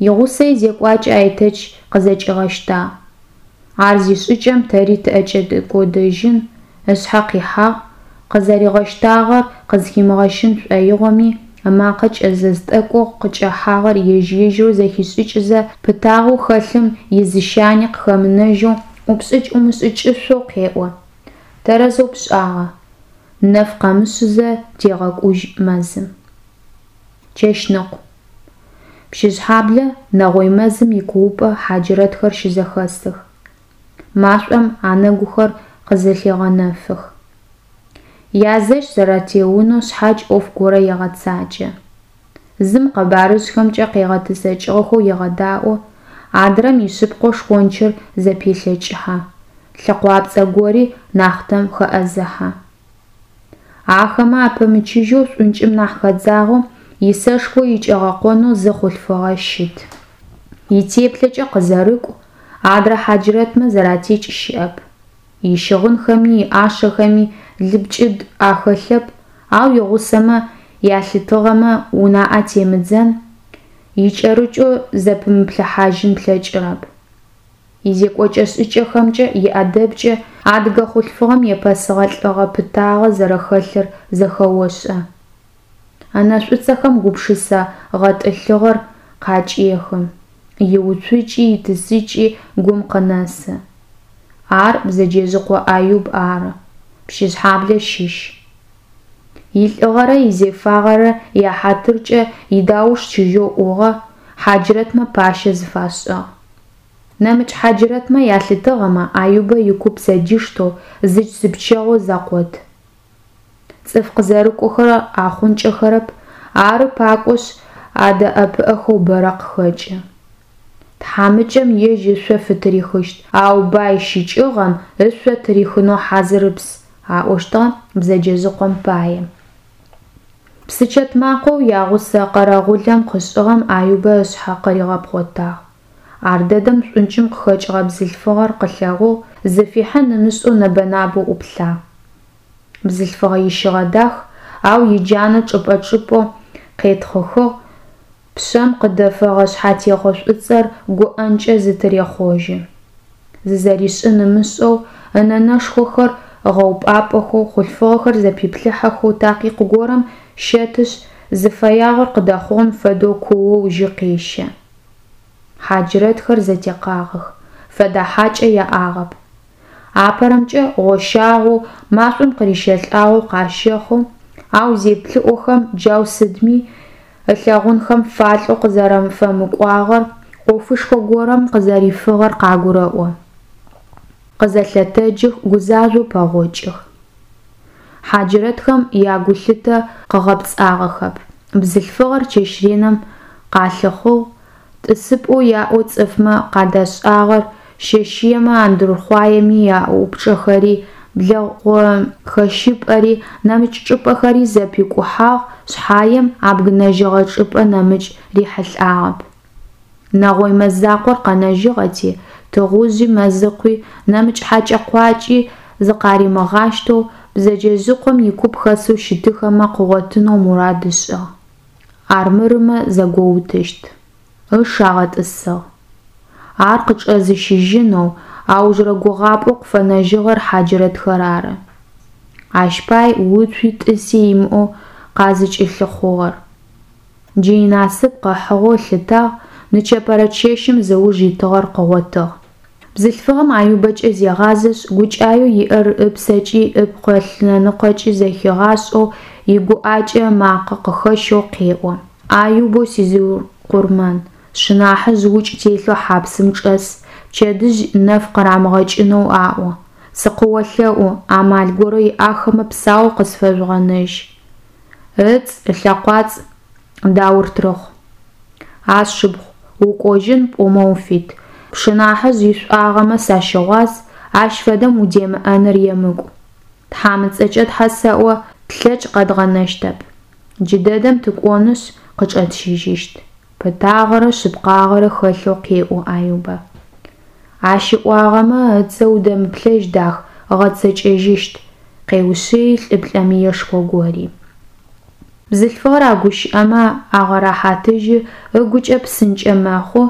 Игъусэ изекӏуакӏэ Айтэч къызэкӏигъэщтагъ. Ар зишӏыкӏэм тэри тыӏэкӏэкӏодэжьын, ышъхьэ къихьагъ, къызэригъэщтагъэр къызхимыгъэщын шӏоигъоми, ымакъэ кӏэзэз тӏэкӏоу къыкӏэхьагъэр ежь-ежьырэу зэхишӏыкӏызэ, пытагъэу хэлъым изыщани къыхэмынэжьэу, ӏупшӏыкӏ-ӏумышӏыкӏышъоу къеӏо. Тэрэзэу пшӏагъэ. Нэф къэмышъызэ тегъэкӏужь мэзым. Чэщныкъу. Пщыжъхьаблэ нэгъой мэзым икуупӏэ хьаджырэтхэр щызэхэсых. Машӏом анэгухэр къызэлъегъэнэфых. Язэщ зэратеунэу шъхьадж ӏоф горэ егъэцакӏэ. Зым къэбарыжъхэмкӏэ къегъэтӏысэкӏыгъэхэу егъэдаӏо, адрэм ишъыпкъэу шхончыр зэпелъэкӏыхьэ, лъэкъуапцӏэ гори нахътэм хэӏэзыхьэ. Ахэмэ апэмычыжьэу шӏункӏым нахь хэдзагъэу, исэшхо икӏэгъэкъонэу зы хъулъфыгъэ щыт. Итеплъэкӏэ къызэрыкӏу, адрэ хьаджрэтмэ зэратекӏ щыӏэп. Ищыгъынхэми иӏашэхэми лыпкӏыд ахэлъэп, ау игъусэмэ ялъытыгъэмэ, унаӏэ темыдзэн, икӏэрыкӏэу зэпымыплъыхьажьын плъэкӏырэп. Изекӏокӏэ-шӏыкӏэхэмкӏэ, иӏэдэбкӏэ адыгэ хъулъфыгъэм епэсыгъэ лӏыгъэ-пытагъэ зэрэхэлъыр зэхэошӏэ. Ынэ шӏуцӏэхэм гупшысэ гъэтӏылъыгъэр къакӏехы, иуцукӏи итӏысыкӏи гум къынэсы. Ар Бзэджэжъыкъо Аюб ары, Пщыжъхьаблэ щыщ. Илӏыгъэрэ изефагъэрэ яхьатыркӏэ идауш чыжьэу ӏугъэ, хьаджрэтмэ пащэ зыфашӏыгъ. Нэмыкӏ хьаджрэтмэ ялъытыгъэмэ, Аюбэ икуп зэдиштэу, зыч-зыпчэгъоу зэкъот. Цӏыф къызэрыкӏохэр ахъункӏэхэрэп, ары пакӏошъ, адэӏэпыӏэхэу бэрэ къыхэкӏы. Тхьамыкӏэм ежь ышъо фытырихыщт, ау бай щыкӏыгъэм ышъо тырихынэу хьазырыпс, аӏощтыгъэ Бзэджэжъыкъом пае. Псычэт макъэу ягъусэ къэрэгъулэм къышӏыгъэм Аюбэ ышъхьэ къыригъэпхъотагъ. Ардэдэм шӏункӏым къыхэкӏыгъэ бзылъфыгъэр къылъэгъугъ, зыфихьын ымышӏэу нэбэ-набэу ӏуплъагъ. Бзылъфыгъэ ищыгъэ дах, ау иджанэ чӏыпӏэ-чӏыпӏэу къетхъыхыгъ, пшъэм къыдэфэгъэ шъхьатехъо шӏуцӏэр гуӏэнкӏэ зытырехъожьы. Зызэришӏын ымышӏэу, ынэ нэшхохэр ыгъэупӏапӏэхэу, хъулъфыгъэхэр зэпиплъыхьэхэу такъикъ горэм щэтышъ, зыфэягъэр къыдэхъугъэм фэдэу куоу жьы къещэ. Хьаджрэтхэр зэтекъагъэх, фэдэ хьакӏэ яӏагъэп. Апэрэмкӏэ гъощагъэу, машӏом къырищэлӏагъэу къащэхъу, ау зеплъыӏохэм джау сыдми ылъэгъунхэм фалӏэу къызэрэфэмыкӏуагъэр, ӏофышхо горэм къызэрифыгъэр къагурэӏо. Къызэлъэтэджых, гузажъоу пэгъокӏых. Хьаджрэтхэм ягулъытэ къыгъэпцӏагъэхэп, бзылъфыгъэр чэщ реным къалъыхъугъ, тӏысыпӏэу яӏэу цӏыфмэ къадашӏагъэр, щэщыемэ андырхъуаеми яупчӏэхэри, благъохэщыпӏэри, нэмыкӏ чӏыпӏэхэри зэпикӏухьагъ шъхьаем, абгынэжьыгъэ чӏыпӏэ нэмыкӏ рихьылӏагъэп. Нэгъой мэз закъор къэнэжьыгъэти, тыгъужъи, мэзыкъуи, нэмыкӏ хьэкӏэ-къуакӏи зыкъаримыгъаштэу, Бзэджэжъыкъом икуп хэсэу щытыхэмэ къыгъотынэу мурад ышӏыгъ. Армырымэ зэгоутыщт. Ыш агъэтӏысыгъ. Ар къычӏэзыщыжьынэу аужырэ гугъапӏэу къыфэнэжьыгъэр хьаджрэтхэр ары. Ащ пай уцуи тӏыси имыӏэу къазыкӏылъыхъугъэр. Джы инасып къыхьыгъэу ылъытагъ, нычэпэрэ чэщым зыуж итыгъэр къыгъотыгъ. Бзылъфыгъэм Аюбэкӏэ зегъазэшъ, гукӏаеу иӏэр ыпсэкӏи ыпкъы лъэныкъокӏи зэхигъашӏэу, игуӏакӏэ ымакъэ къыхэщэу къеӏо, Аюбэу сизикъурмэн, сшынахьыжъ укӏ телъэу хьапсым чӏэс, пчэдыжь нэф къырамыгъэкӏынэу аӏо. Сыкъыолъэӏу, амал горэ иӏахэмэ псаоу къысфэжъугъэнэжь. Ыцӏ, ылъэкъуацӏ Даур Трыхъу. А сшыпхъу, укӏожьын пӏомэ уфит, пшынахьыжъ ишӏуагъэмэ сащыгъуаз, ащ фэдэм удемыӏэныр емыкӏу. Тхьам ыцӏэкӏэ тхьэ сэӏо, тлъэкӏ къэдгъэнэщтэп. Джыдэдэм тыкӏонышъ, къычӏэтщыжьыщт. Пытагъэрэ шъыпкъагъэрэ хэлъэу къеӏо Аюбэ. Ащ ыӏуагъэмэ, ыцэ удэмыплъэжь дах, ыгъэцэкӏэжьыщт, къеушъыи лӏы плӏэмыешхо гори. Бзылъфыгъэр а гущыӏэмэ агъэрэхьатыжьы, ыгукӏэ псынкӏэ мэхъу,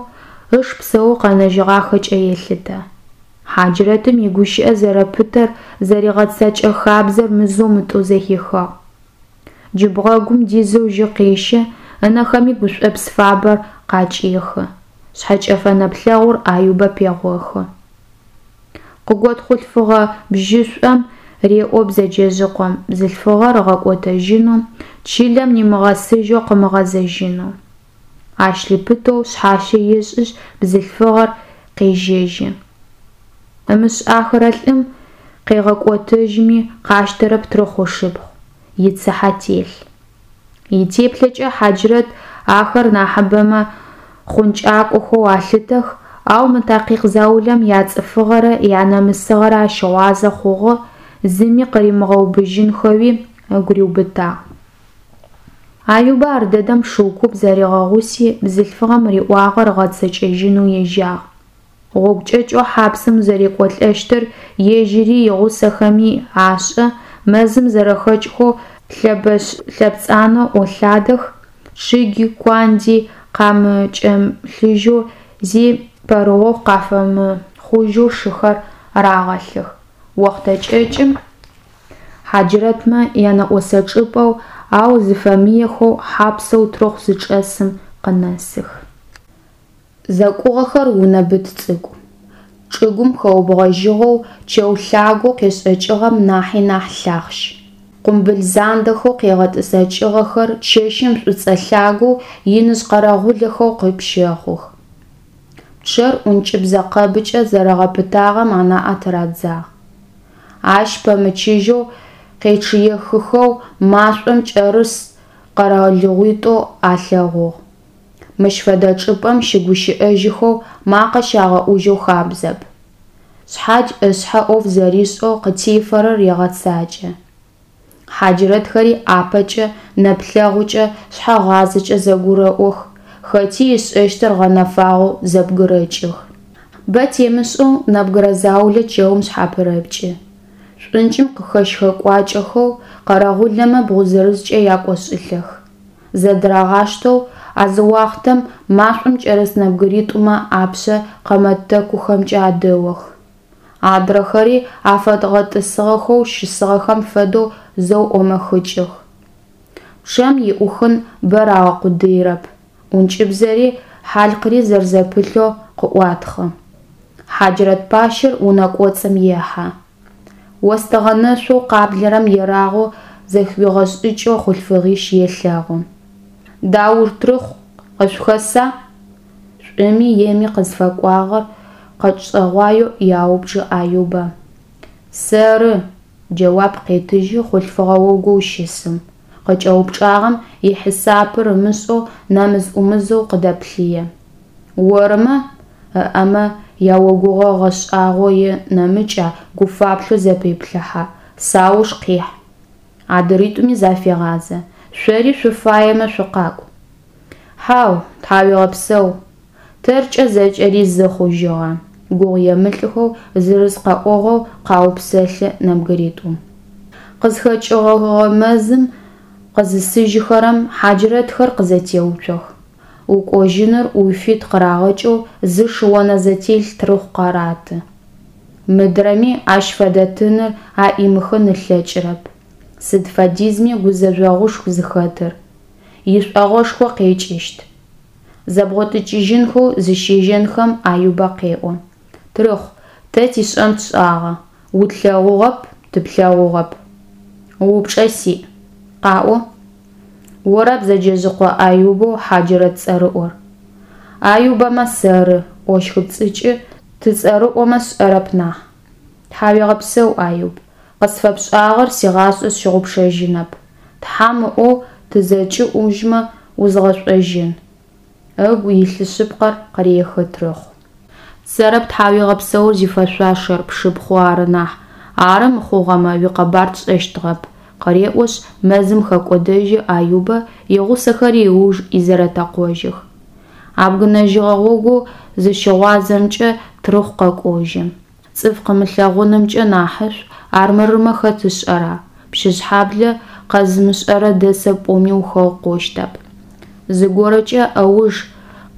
ыш псэоу къэнэжьыгъахэкӏэ елъытэ. Хьаджрэтым игущыӏэ зэрэпытэр, зэригъэцэкӏэ хабзэр мызэу-мытӏоу зэхихыгъ. Джы бгъэгум дизэу жьы къещэ, ынэхэми гушӏопс фабэр къакӏехы, шъхьэкӏэфэ нэплъэгъур Аюбэ пегъохы. Къыгот хъулъфыгъэ бжьышӏом реӏо бзэджэжъыкъом бзылъфыгъэр ыгъэкӏотэжьынэу, чылэм нимыгъэсыжьэу къымыгъэзэжьынэу. Ащ лъыпытэу шъхьащэ ешӏышъ, бзылъфыгъэр къежьэжьы. Ымышӏахэрэ лӏым къегъэкӏотэжьми, къащтэрэп Трыхъу ышыпхъу, ицыхьэ телъ. Итеплъэкӏэ Хьаджрэт ахэр нахьыбэмэ хъункӏакӏохэу алъытэх, ау мы такъикъ заулэм яцӏыфыгъэрэ янамысыгъэрэ ащыгъуазэ хъугъэ, зыми къыримыгъэубыжьынхэуи ыгу риубытагъ. Аюбэ ардэдэм шыу куп зэригъэгъуси, бзылъфыгъэм риӏуагъэр ыгъэцэкӏэжьынэу ежьагъ. Гъогу кӏэкӏэу хьапсым зэрекӏолӏэщтыр ежьыри игъусэхэми ашӏэ, мэзым зэрэхэкӏхэу лъэбэшъ-лъэпцӏанэу ӏолъадэх, чъыги, куанди къамыкӏэмылъыжьэу, зи пэрыохъу къафэмыхъужьэу шыхэр рагъэлъых. Охътэ кӏэкӏым хьаджрэтмэ янэӏосэ чӏыпӏэу, ау зыфэмыехэу хьапсэу Трыхъу зычӏэсым къынэсых. Зэкӏугъэхэр унэ быт цӏыкӏу. Чӏыгум хэубгъэжьыгъэу чэу лъагэу къешӏэкӏыгъэм нахьи нахь лъахъщ. Къумбыл зандэхэу къегъэтӏысэкӏыгъэхэр чэщым шӏуцӏэ лъагэу иныжъ къэрэгъулэхэу къыпщэхъух. Пчъэр ӏункӏыбзэ къэбыкӏэ зэрэгъэпытагъэм анаӏэ тырадзагъ. Ащ пэмычыжьэу къечъыехыхэу машӏом кӏэрыс къэралыгъуитӏу алъэгъугъ. Мыщ фэдэ чӏыпӏэм щыгущыӏэжьыхэу, макъэ щагъэӏужьэу хабзэп. Шъхьадж ышъхьэ ӏоф зэришӏэу къытефэрэр егъэцакӏэ. Хьаджрэтхэри ӏапэкӏэ, нэплъэгъукӏэ, шъхьэгъазэкӏэ зэгурэӏох, хэти ышӏэщтыр гъэнэфагъэу зэбгырэкӏых. Бэ темышӏэу нэбгырэ заулэ чэум шъхьапырэпкӏы. Шӏункӏым къыхэщхэкӏуакӏэхэу къэрэгъулэмэ бгъу зырызкӏэ якӏошӏылӏэх. Зэдырагъаштэу а зы уахътэм машӏом кӏэрыс нэбгыритӏумэ апшъэ къэмэ тэкухэмкӏэ адэох. Адрэхэри афэдгъэтӏысыгъэхэу щысыгъэхэм фэдэу зэу ӏомэхыкӏых. Пчъэм иӏухын бэ рагъэкъудыирэп, ӏункӏыбзэри хьалъкъри зэрэзэпылъэу къыӏуатхъы. Хьаджрэт пащэр унэ кӏоцӏым ехьэ. Остыгъэ нэшъоу къаблэрэм ерагъэу зэхыуигъэшӏыкӏэу хъулъфыгъищ елъэгъу. Даур Трыхъу къышъухэса? Шӏуми еми къызфэкӏуагъэр къэшӏэгъуаеу яупчӏы Аюбэ. Сэры, джэуап къетыжьы хъулъфыгъэ огоу щысым, къыкӏэупчӏагъэм ихьисапыр ымышӏэу нэмыз-ӏумызэу къыдэплъые. Ормэ? ыӏэмэ яогугъэ гъэшӏагъо е нэмыкӏа гуфаплъэу зэпеплъыхьэ, сауж къихь. Адыритӏуми зафегъазэ, шъори шъуфаемэ шъукъакӏу. Хьау, тхьауегъэпсэу, тэркӏэ зэкӏэри зы хъужьыгъэ, гугъуемылӏхэу зырыз къэӏогъоу къаупсэлъы нэбгыритӏум. Къызхэкӏыгъэгъэ мэзым къызысыжьыхэрэм хьаджрэтхэр къызэтеуцох. Укӏожьыныр уфит къырагъэкӏэу зы шыонэзэтелъ Трыхъу къараты. Мыдрэми ащ фэдэ тыныр аӏимыхын ылъэкӏырэп. Сыд фэдизми гузэжъогъушху зыхэтыр, ишӏогъэшхо къекӏыщт. Зэбгъотыкӏыжьынхэу зыщежьэнхэм Аюбэ къеӏо, Трыхъу, тэ тишӏэн тшӏагъэ, утлъэгъугъэп, тыплъэгъугъэп. Упчӏэ сиӏ. Къаӏо. Ора Бзэджэжъыкъо Аюбэу хьаджрэт цӏэрыӏор? Аюбэмэ сэры, ӏощхыпцӏыкӏы, тыцӏэрыӏомэ сшӏэрэп нахь. Тхьауегъэпсэу, Аюб, къысфэпшӏагъэр сигъашӏэ сщыгъупшэжьынэп, тхьам ыӏоу тызэкӏыӏужьмэ, узгъэшӏожьын, ыгу илъы шъыпкъэр къырехы Трыхъу. Сэрэп тхьауегъэпсэур зифэшъуашэр, пшыпхъу ары нахь, ары мыхъугъэмэ, уикъэбар тшӏэщтыгъэп, къыреӏошъ, мэзым хэкӏодэжьы Аюбэ, игъусэхэри ыуж изэрэтэкъожьых. Абгынэжьыгъэ гъогоу зыщыгъуазэмкӏэ Трыхъу къэкӏожьы. Цӏыф къымылъэгъунымкӏэ нахьышӏу, армырмэ хэт ышӏэра, Пщыжъхьаблэ къэзымышӏэрэ дэсэп пӏоми ухэукъощтэп. Зыгорэкӏэ ыуж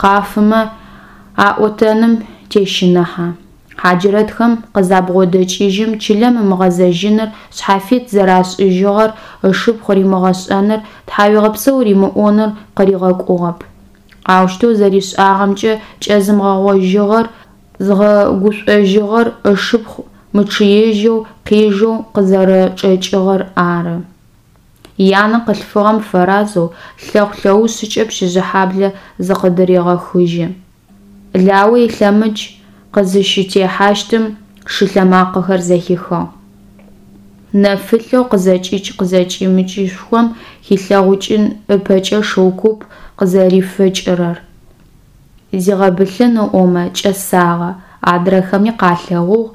къафымэ аӏотэным тещыныхьэ. Хьаджрэтхэм къызабгъодэкӏыжьым чылэм ымыгъэзэжьыныр, шъхьафит зэрашӏыжьыгъэр ышыпхъу римыгъэшӏэныр, тхьауегъэпсэу римыӏоныр къыригъэкӏугъэп. Аущтэу зэришӏагъэмкӏэ кӏэзымыгъэгъожьыгъэр зыгъэгушӏожьыгъэр ышыпхъу мычъыежьэу къежэу къызэрэчӏэкӏыгъэр ары. Янэ къылъфыгъэм фэразэу лъэхъу-лъэушъыкӏэ Пщыжъхьаблэ зыкъыдырегъэхыжьы. Лао илъэмыдж къызыщытехьащтым шылъэмакъэхэр зэхихыгъ. Нэфылъэу къызэкӏыкӏ-къызэкӏэмыкӏышхом хилъэгъукӏын ыпэкӏэ шыу куп къызэрифыкӏырэр. Зигъэбылъын ыӏомэ, кӏэсагъэ, адрэхэми къалъэгъугъ,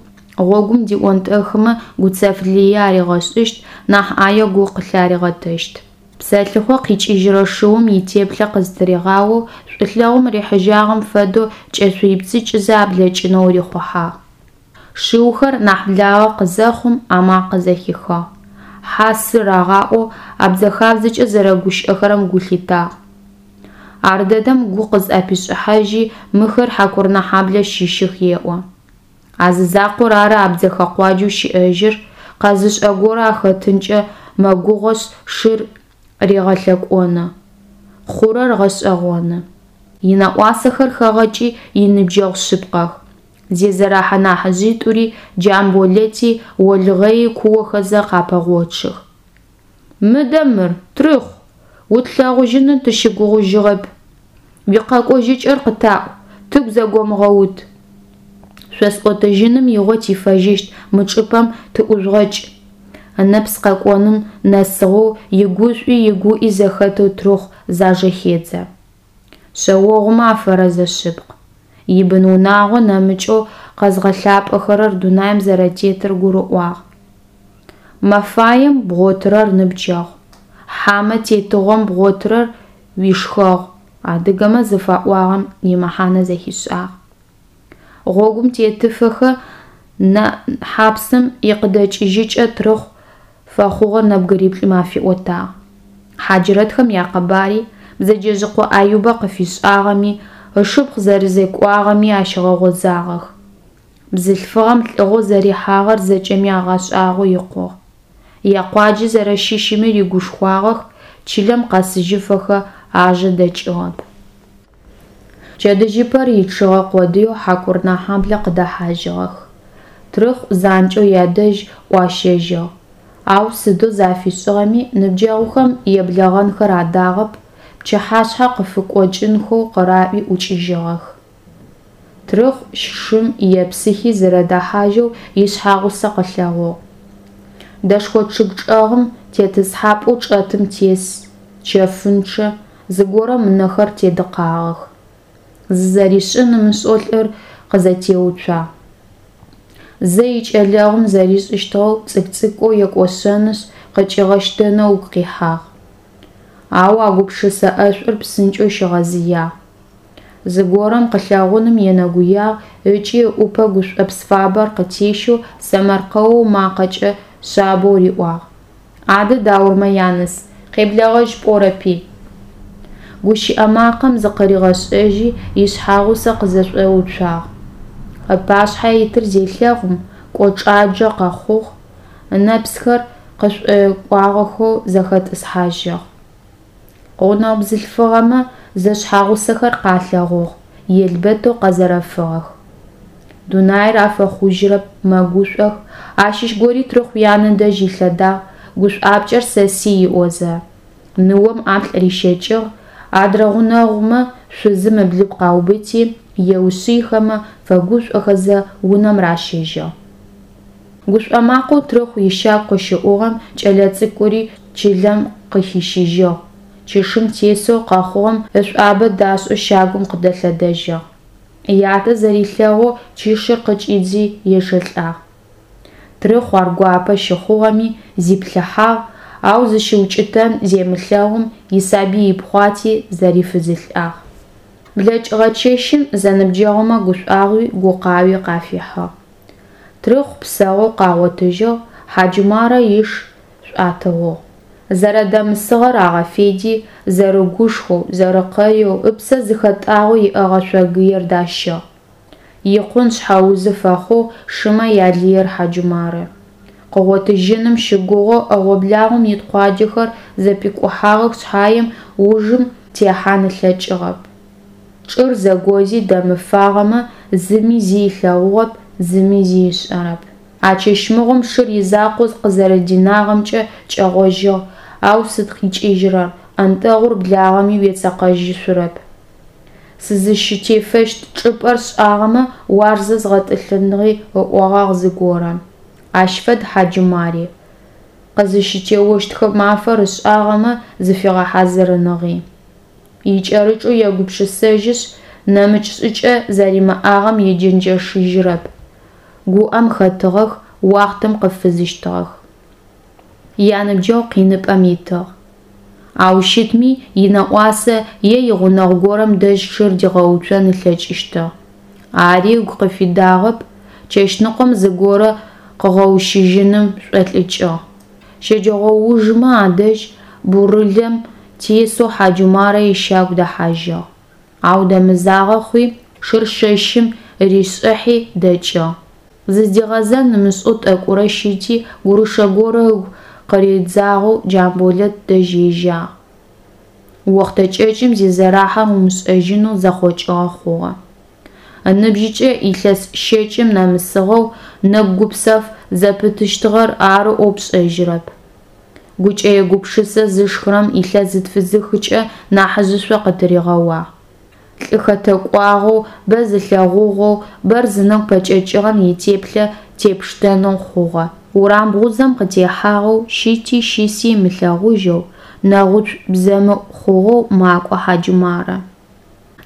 гъогум диӏонтӏэхымэ гуцэф лые аригъэшӏыщт, нахь ӏае гу къылъаригъэтэщт. Псэлъыхъо къикӏыжьырэ шыум итеплъэ къызтыригъаоу, шӏулъэгъум рихьыжьагъэм фэдэу кӏэшъуипцӏыкӏызэ аблэкӏынэу рихъухьагъ. Шыухэр нахь благъэ къызэхъум, амакъэ зэхихыгъ. Хьа-сы рагъаӏоу абдзэхабзэкӏэ зэрэгущыӏэхэрэм гу лъитагъ. Ардэдэм гу къызӏэпишӏыхьажьи, мыхэр Хьакурынэхьаблэ щыщых еӏо. А зы закъор ары абдзэхэ къуаджэу щыӏэжьыр, къэзышӏэ горэ ахэтынкӏэ мэгугъэшъ, шыр регъэлъэкӏоны. Хъурэр гъэшӏэгъоны. Инэӏуасэхэр хэгъэкӏи, иныбджэгъу шъыпкъэх. Зезэрэхьэ нахьыжъитӏури, Джамболэти, Олгъэйи куохэзэ къапэгъочъых. Мыдэ мыр, Трыхъу, утлъэгъужьыным тыщыгугъыжьыгъэп. Уикъэкӏожьыкӏэр къытаӏу, тыгу зэгомыгъэут. Шъосӏотэжьыным игъо тифэжьыщт, мы чӏыпӏэм тыӏужъугъэкӏ. Ынэпс къэкӏоным нэсыгъэу, игушӏуи игуӏи зэхэтэу Трыхъу зажэхедзэ. Шъэогъумэ афэрэзэ шъыпкъ. Ибын-унагъо нэмыкӏэу къэзгъэлъапӏэхэрэр дунаим зэрэтетыр гурыӏуагъ. Мэфаем бгъотырэр ныбджэгъу, хьамэ тетыгъом бгъотырэр уишхэгъу адыгэмэ зыфаӏуагъэм имэхьанэ зэхишӏагъ. Гъогум тетыфэхэ хьапсым икъыдэкӏыжьыкӏэ Трыхъу фэхъугъэр нэбгыриплӏым афиӏотагъ. Хьаджрэтхэм якъэбари, Бзэджэжъыкъо Аюбэ къыфишӏагъэми, ышыпхъу зэрэзекӏуагъэми ащигъэгъозагъэх. Бзылъфыгъэм лӏыгъэу зэрихьагъэр зэкӏэми агъэшӏагъо икъугъ. Якъуаджэ зэрэщыщыми рыгушхуагъэх, чылэм къэсыжьыфэхэ ажэ дэкӏыгъэп. Пчэдыжьыпэр ичъыгъэ къодыеу Хьакурынэхьаблэ къыдэхьажьыгъэх. Трыхъу занкӏэу ядэжь ӏуащэжьыгъ. Ау сыдэу зафишӏыгъэми, ныбджэгъухэм еблэгъэнхэр адагъэп, пчыхьашъхьэ къыфыкъокӏынхэу къыраӏуи ӏукӏыжьыгъэх. Трыхъу шым епсыхи зэрэдэхьажьэу ишъхьагъусэ къылъэгъугъ. Дэшхо чъыг чӏэгъым тетӏысхьапӏэу чӏэтым тес, чэфынчъэ, зыгорэм ынэхэр тедыкъагъэх. Зызэришӏын ымышӏэу лӏыр къызэтеуцуагъ. Зэ икӏэлэгъум зэришӏыщтыгъэу цӏыкӏу-цӏыкӏоу екӏошъэнышъ, къыкӏигъэщтэнэу ыгу къихьагъ. Ау а гупшысэ ӏэшӏур псынкӏэу щигъэзыягъ. Зыгорэм къылъэгъуным енэгуягъ ыкӏи ыӏупэ гушӏопс фабэр къытещэу сэмэркъэу макъэкӏэ шъабэу риӏуагъ, Адэ Даурмэ яныс, къеблэгъэжь пӏорэпи? Гущыӏэ макъэм зыкъыригъэшӏэжьи, ишъхьагъусэ къызэшӏоуцуагъ. Ыпашъхьэ итыр зелъэгъум, кӏочӏаджэ къэхъугъ, ынэпсхэр къышӏуекӏуагъэхэу зэхэтӏысхьажьыгъ. Гъунэгъу бзылъфыгъэмэ зэшъхьэгъусэхэр къалъэгъугъ, елбэтэу къэзэрэфыгъэх. Дунаир афэхъужьырэп, мэгушӏох, ащыщ гори Трыхъу янэ дэжь илъэдагъ, гушӏуапкӏэр сэсый ыӏозэ, ныом ӏаплӏ рищэкӏыгъ, адрэ гъунэгъумэ шъузым ыблыпкъ аубыти, еушъыйхэмэ, фэгушӏохэзэ унэм ращэжьыгъ. Гушӏо макъэу Трыхъу ищагу къыщыӏугъэм кӏэлэцӏыкӏури чылэм къыхищыжьыгъ, чышым тесэу къэхъугъэм ышӏуабэ дашӏэу щагум къыдэлъэдэжьыгъ. Ятэ зэрилъэгъоу чышыр къыкӏидзи ечъэлӏагъ. Трыхъу ар гуапэ щыхъугъэми, зиплъыхьагъ, ау зыщыукӏытэн земылъэгъум, исабый ыпхъуати, зэрифызылӏагъ. Блэкӏыгъэ чэщым зэныбджэгъумэ гушӏуагъуи гукъауи къафихьыгъ. Трыхъу псаоу къагъотыжьыгъ, Хьаджумарэ иш шӏуатыгъугъ. Зэрэдэмысыгъэр агъэфеди, зэрыгушхоу, зэрэкъэеу, ыпсэ зыхэтӏагъэу иӏэгъэ шъогыер дащыгъ. Икъун шъхьэузы фэхъугъ шымэ ялыер Хьаджумарэ. Къыгъотыжьыным щыгугъэу ӏэгъо-благъом ит къуаджэхэр зэпикӏухьагъэх шъхьаем, ужым техьан ылъэкӏыгъэп. Чӏыр зэгози дэмыфагъэмэ, зыми зи ылъэгъугъэп, зыми зи ышӏэрэп. А чэщ мыгъом шыр изакъоу къызэрэдинагъэмкӏэ кӏэгъожьыгъ, ау сыд къикӏыжьрэр, ӏэнтэгъур благъэми уецэкъэжьышъурэп. Сызыщытефэщт чӏыпӏэр сшӏагъэмэ, уарзэ згъэтӏылъыныгъи ыӏогъагъ зыгорэм. Ащ фэд Хьаджумари. Къызыщытеощтхэ мафэр ышӏагъэмэ, зыфигъэхьазырыныгъи. Икӏэрыкӏэу егупшысэжьышъ, нэмыкӏ шӏыкӏэ зэримыӏагъэм еджэнджэшыжьырэп. Гуӏэм хэтыгъэх, уахътэм къыфызыщтыгъэх. Яныбджэгъу къиныпӏэм итыгъ. Ау щытми, инэӏуасэ е игъунэгъу горэм дэжь шыр дигъэуцон ылъэкӏыщтыгъ. Ари ыгу къыфидагъэп, чэщныкъом зыгорэ къыгъэущыжьыным шӏолӏыкӏыгъ. Щэджэгъоужмэ адэжь бурылэм тесэу Хьаджумарэ ищагу дэхьажьыгъ. Ау дэмызагъэ хъуи, шыр шэщым ришӏыхьи дэкӏыгъ. Зыздигъэзэн ымышӏэу тӏэкӏурэ щыти, гурышэ горэ ыгу къыридзагъэу Джамболэт дэжь ежьагъ. Охътэ кӏэкӏым зизэрахьэр умышӏэжьынэу зэхъокӏыгъэ хъугъэ. Ыныбжьыкӏэ илъэс щэкӏым нэмысыгъэу нэгу гупсэф зэпытыщтыгъэр ары ӏоу пшӏэжьырэп. Гукӏэе-гупшысэ зышхырэм илъэс зытфызыхыкӏэ нахьыжъышъо къытыригъэуагъ. Лӏы хэтэкӏуагъэу, бэ зылъэгъугъэу, бэр зынэгу пэкӏэкӏыгъэм итеплъэ тепштэнэу хъугъэ. Урам бгъузэм къытехьагъэу, щыти щыси ымылъэгъужьэу, нэгъуцу бзэмыӏу хъугъэу макӏо Хьаджумарэ.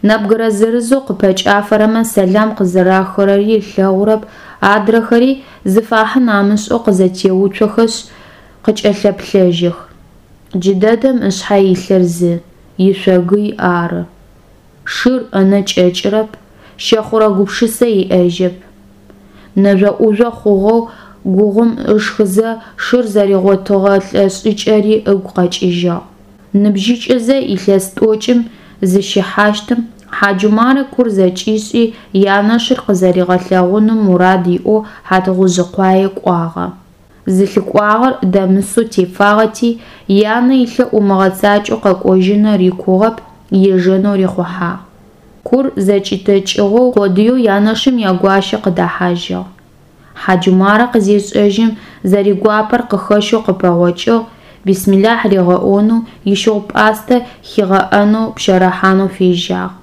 Нэбгырэ зырызэу къыпэкӏафэрэмэ сэлам къызэрахырэри ылъэгъурэп, адрэхэри, зыфахьын амышӏэу къызэтеуцохэшъ, къыкӏэлъэплъэжьых. Джыдэдэм ышъхьэ илъыр зы, ишъогый ары. Шыр ынэ кӏэкӏырэп, щэхъурэ гупшысэ иӏэжьэп. Нэжъо-ӏужъо хъугъэу гугъум ышхызэ шыр зэригъотыгъэ лӏэ шӏыкӏэри ыгу къэкӏыжьыгъ. Ныбжьыкӏэзэ илъэс тӏокӏым зыщихьащтым, Хьаджумарэ кур зэкӏишӏи, янэшыр къызэригъэлъэгъуным мурад иӏэу Хьатыгъужъыкъуае кӏуагъэ. Зылъыкӏуагъэр дэмысэу тефагъэти, янэ илъэӏу ымыгъэцакӏэу къэкӏожьыныр икугъэп, ежэнэу рихъухьагъ. Кур зэкӏитэкӏыгъэу къодыеу янэшым ягуащэ къыдэхьажьыгъ. Хьаджумарэ къызешӏэжьым, зэригуапэр къыхэщэу къыпэгъокӏыгъ, бисмилахь ригъэӏонэу, ищыгъу-пӏастэ хигъэӏэнэу пщэрыхьанэу фежьагъ.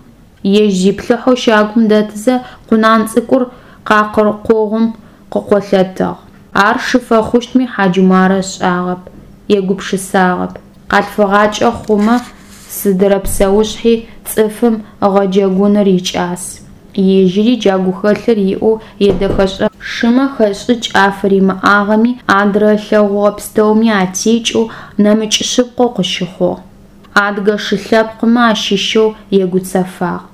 Ежь зиплъыхьэу щагум дэтызэ, къунан цӏыкӏур къакъыр къогъум къыкъолъэтыгъ. Ар шы фэхъущтми Хьаджумарэ ышӏагъэп, егупшысагъэп. Къалъфыгъакӏэ хъумэ, сыдырэ псэушъхьи цӏыфым ыгъэджэгуныр икӏас. Ежьыри джа гухэлъыр иӏэу едэхэшӏэ. Шымэ хэшӏыкӏ афыримыӏагъэми, адрэ ылъэгъугъэ пстэуми атекӏэу, нэмыкӏ шъыпкъэу къыщыхъугъ. Адыгэ шы лъэпкъымэ ащыщэу егуцэфагъ.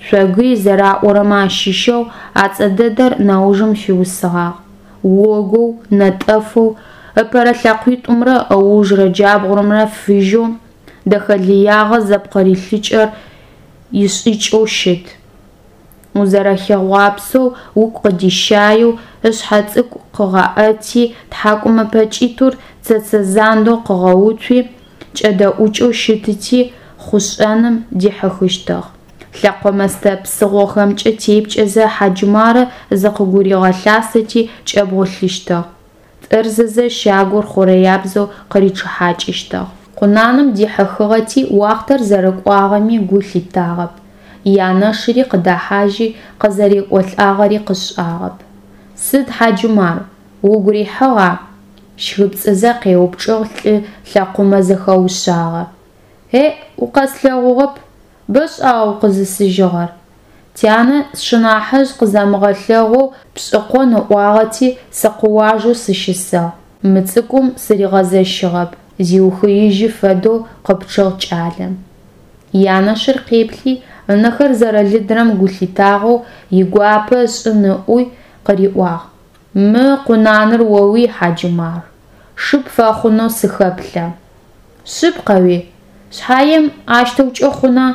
Шъогый зэраӏорэмэ ащыщэу а цӏэ дэдэр нэужым фиусыгъагъ. Огоу, нэтӏэфэу, ыпэрэ лъэкъуитӏумрэ ыужрэ джабгъумрэ фыжьэу, дэхэлыягъэ зэпкъырилъыкӏэр ишӏыкӏэу щыт. Узэрэхигъуапсэу, угу къыдищаеу, ышъхьэ цӏыкӏу къыгъэӏэти, тхьакӏумэ пэкӏитӏур цэцэ зандэу къыгъэуцуи, кӏэдэӏукӏэу щытыти, хъушӏэным дихьыхыщтыгъ. Лъэкъо мэстэ псыгъохэмкӏэ тепкӏэзэ Хьаджумарэ зыкъыгуригъэлъасэти кӏэбгъулъыщтыгъ. Тӏырзызэ щагур хъурэябзэу къыричъыхьакӏыщтыгъ. Къунаным дихьыхыгъэти, уахътэр зэрэкӏуагъэми гу лъитагъэп, янэшыри къыдэхьажьи, къызэрекӏолӏагъэри къышӏагъэп. Сыд, Хьаджумар, Угу рихьыгъа? Щхыпцӏызэ къеупчӏыгъ лӏы лъэкъумэ зэхэушъагъэр. Еӏ, укъэслъэгъугъэп, бэшӏагъа укъызысыжьыгъэр? Тянэ сшынахьыжъ къызэмыгъэлъэгъоу пшӏыкъон ыӏуагъэти, сыкъыуажэу сыщысыгъ, мы цӏыкӏум сыригъэзэщыгъэп, зиухыижьы фэдэу къыпчъыгъ кӏалэм. Янэшыр къеплъи, ынэхэр зэрэлыдрэм гу лъитагъэу, игуапэ ышӏын ыӏуи, къыриӏуагъ, Мы къунаныр оуий, Хьаджумар, шы пфэхъунэу сыхэплъэ. Шъыпкъэуи? Шъхьаем, ащтэукӏэ хъуна?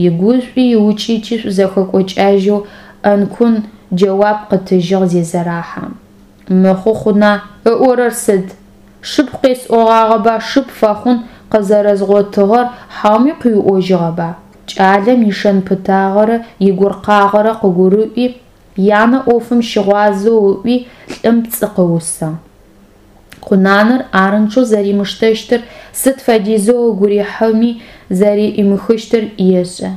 Игушӏуи иукӏыти шӏузэхэкӏокӏэжьэу ӏэнкун джэуап къытыжьыгъ Зезэрахьэм. Мыхъу хъуна, ыӏорэр сыд? Шыпхъу къесӏогъагъэба шы пфэхъун къызэрэзгъотыгъэр хьауми къыуиӏожьыгъэба? Кӏалэм ишэн-пытагъэрэ игуркъагъэрэ къыгурыӏуи, янэ ӏофым щыгъуазэу ыӏуи, лӏым пцӏы къыусыгъ. Къунаныр арынчъэу зэримыштэщтыр, сыд фэдизэу ыгу рихьыми зэрэӏимыхыщтыр ешӏэ.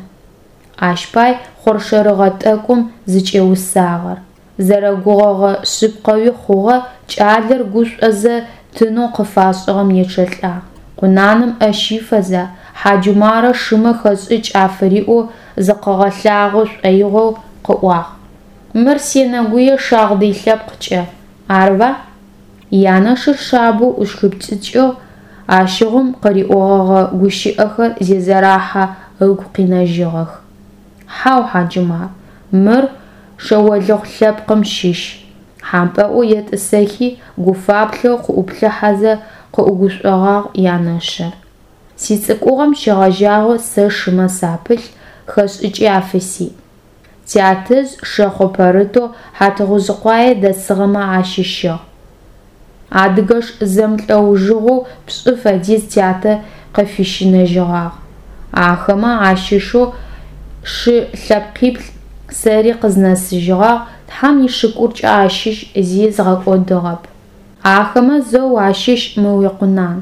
Ащ пай хъоршэрыгъэ тӏэкӏум зыкӏеусагъэр. Зэрэгугъэгъэ шъыпкъэуи хъугъэ, кӏалэр гушӏозэ тынэу къыфашӏыгъэм ечъэлӏагъ. Къунаным ӏэ щифэзэ, Хьаджумарэ шымэ хэшӏыкӏ афыриӏэу зыкъыгъэлъагъо шӏоигъоу къыӏуагъ. Мыр сенэгуе шагъдый лъэпкъкӏэ, арба? Янэшыр шъабэу ӏущхыпцӏыкӏыгъ, ащыгъум къыриӏогъэгъэ гущыӏэхэр Зезэрахьэ ыгу къинэжьыгъэх. Хьау, Хьаджумар, мыр шъэолыхъу лъэпкъым щыщ, хьампӏэӏоу етӏысэхи, гуфаплъэу къыӏуплъыхьэзэ къыӏугушӏогъагъ янэшыр. Сицӏыкӏугъэм щегъэжьагъэу сэ шымэ сапылъ, хэшӏыкӏи афысиӏ. Тятэжъ шэхъо пэрытэу Хьатыгъужъыкъуае дэсыгъэмэ ащыщыгъ. Адыгэш зэмылӏэужыгъоу пшӏы фэдиз тятэ къыфыщинэжьыгъагъ. Ахэмэ ащыщэу шы лъэпкъиплӏ сэри къызнэсыжьыгъагъ, Тхьэм ишыкуркӏэ ащыщ зи згъэкӏодыгъэп. Ахэмэ зэу ащыщ мы уикъунан.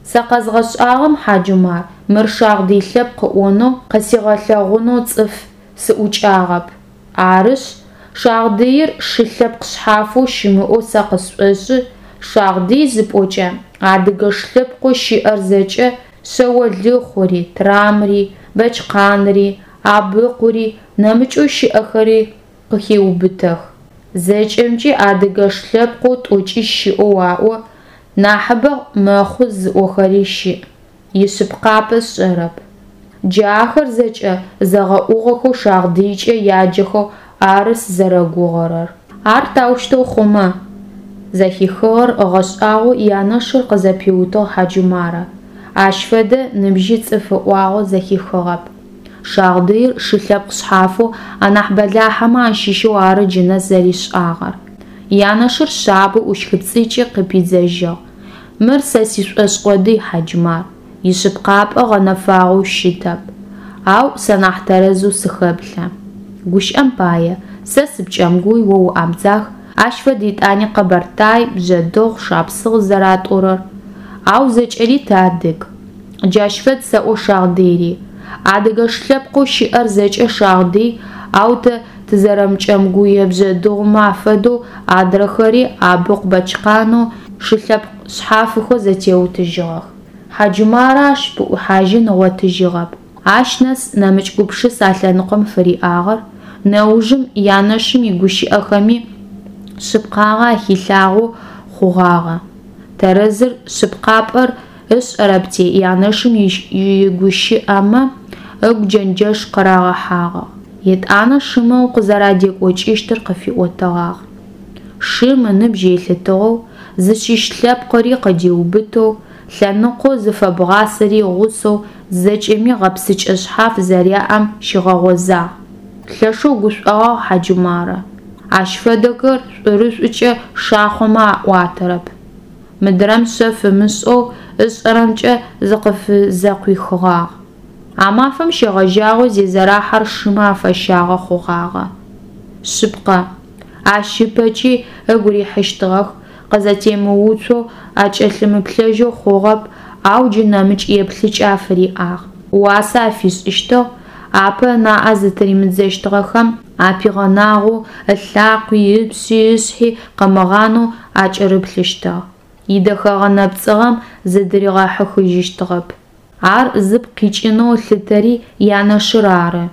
Сэ къэзгъэшӏагъэм, Хьаджумар, мыр шагъдый лъэпкъ ыӏонэу, къысигъэлъэгъунэу цӏыф сыӏукӏагъэп. Арышъ, шагъдыир шы лъэпкъ шъхьафэу щымыӏэу сэ къысшӏошӏы, шагъдый зыпӏокӏэ, адыгэш лъэпкъэу щыӏэр зэкӏэ, шъэолыхъури, трамри, бэчкъанри, абыкъури, нэмыкӏэу щыӏэхэри къыхеубытэх. Зэкӏэмкӏи адыгэш лъэпкъэу тӏокӏищ щыӏэу аӏо, нахьыбэ мэхъу зыӏохэри щыӏ, ишъыпкъапӏэ сшӏэрэп. Джы ахэр зэкӏэ зэгъэуӏугъэхэу шагъдыйкӏэ яджэхэу ары сызэрэгугъэрэр. Ар таущтэу хъумэ? Зэхихыгъэр ыгъэшӏагъоу янэшыр къызэпиутыгъ Хьаджумарэ. Ащ фэдэ ныбжьи цӏыф ыӏуагъэу зэхихыгъэп. Шагъдыир шы лъэпкъ шъхьафэу анахь бэлахьэмэ ащыщэу ары джы нэс зэришӏагъэр. Янэшыр шъабэу ӏущхыпцӏыкӏи къыпидзэжьыгъ. Мыр сэ сишӏошӏ къодый, Хьаджумар, ишъыпкъапӏэ гъэнэфагъэу щытэп. Ау сэ нахь тэрэзэу сыхэплъэ. Гущыӏэм пае, сэ сыпкӏэмгуй, о уабдзах, ащ фэд етӏани къэбэртай, бжъэдыгъу, шапсыгъ зэратӏорэр. Ау зэкӏэри тыадыг. Джащ фэд сэӏо шагъдыйри. Адыгэш лъэпкъэу щыӏэр зэкӏэ шагъдый, ау тэ тызэрэмыкӏэмгуе-бжъэдыгъумэ афэдэу адрэхэри Абыкъу-Бэчкъанэу шы лъэпкъ шъхьафхэу зэтеутыжьыгъэх. Хьаджумарэ ащ пыӏухьажьын ыгъотыжьыгъэп. Ащ нэс нэмыкӏ гупшыс а лъэныкъом фыриӏагъэр, нэужым янэшым игущыӏэхэми шъыпкъагъэ ахилъагъоу хъугъагъэ. Тэрэзыр шъыпкъапӏэр ышӏэрэпти, янэшым игущыӏэмэ ыгу джэнджэш къырагъэхьагъ. Етӏанэ шымэ укъызэрадекӏокӏыщтыр къыфиӏотэгъагъ. Шым ыныбжь елъытыгъэу, зыщыщ лъэпкъыри къыдиубытэу, лъэныкъоу зыфэбгъасэри игъусэу зэкӏэми гъэпсыкӏэ шъхьаф зэряӏэм щигъэгъозагъ. Лъэшэу гушӏогъагъ Хьаджумарэ. Ащ фэдэхэр шӏурышӏукӏэ шахъомэ аӏуатэрэп. Мыдрэм шъэф ымышӏэу ышӏэрэмкӏэ зыкъыфызэкъуихыгъагъ. А мафэм щегъэжьагъэу Зезэрахьэр шымэ афэщагъэ хъугъагъэ. Шъыпкъэ, ащ ыпэкӏи ыгу рихьыщтыгъэх, къызэтемыуцоу, акӏэлъымыплъэжьэу хъугъэп, ау джы нэмыкӏ еплъыкӏэ афыриӏагъ. Уасэ афишӏыщтыгъ, апэ ынаӏэ зытыримыдзэщтыгъэхэм апигъэнагъэу, ылъакъуи, ыпшъи, ышъхьи къымыгъанэу акӏырыплъыщтыгъ, идэхэгъэ-нэпцӏыгъэм зыдыригъэхьыхыжьыщтыгъэп. Ар зыпкъ къикӏынэу ылъытэри янэшыр ары.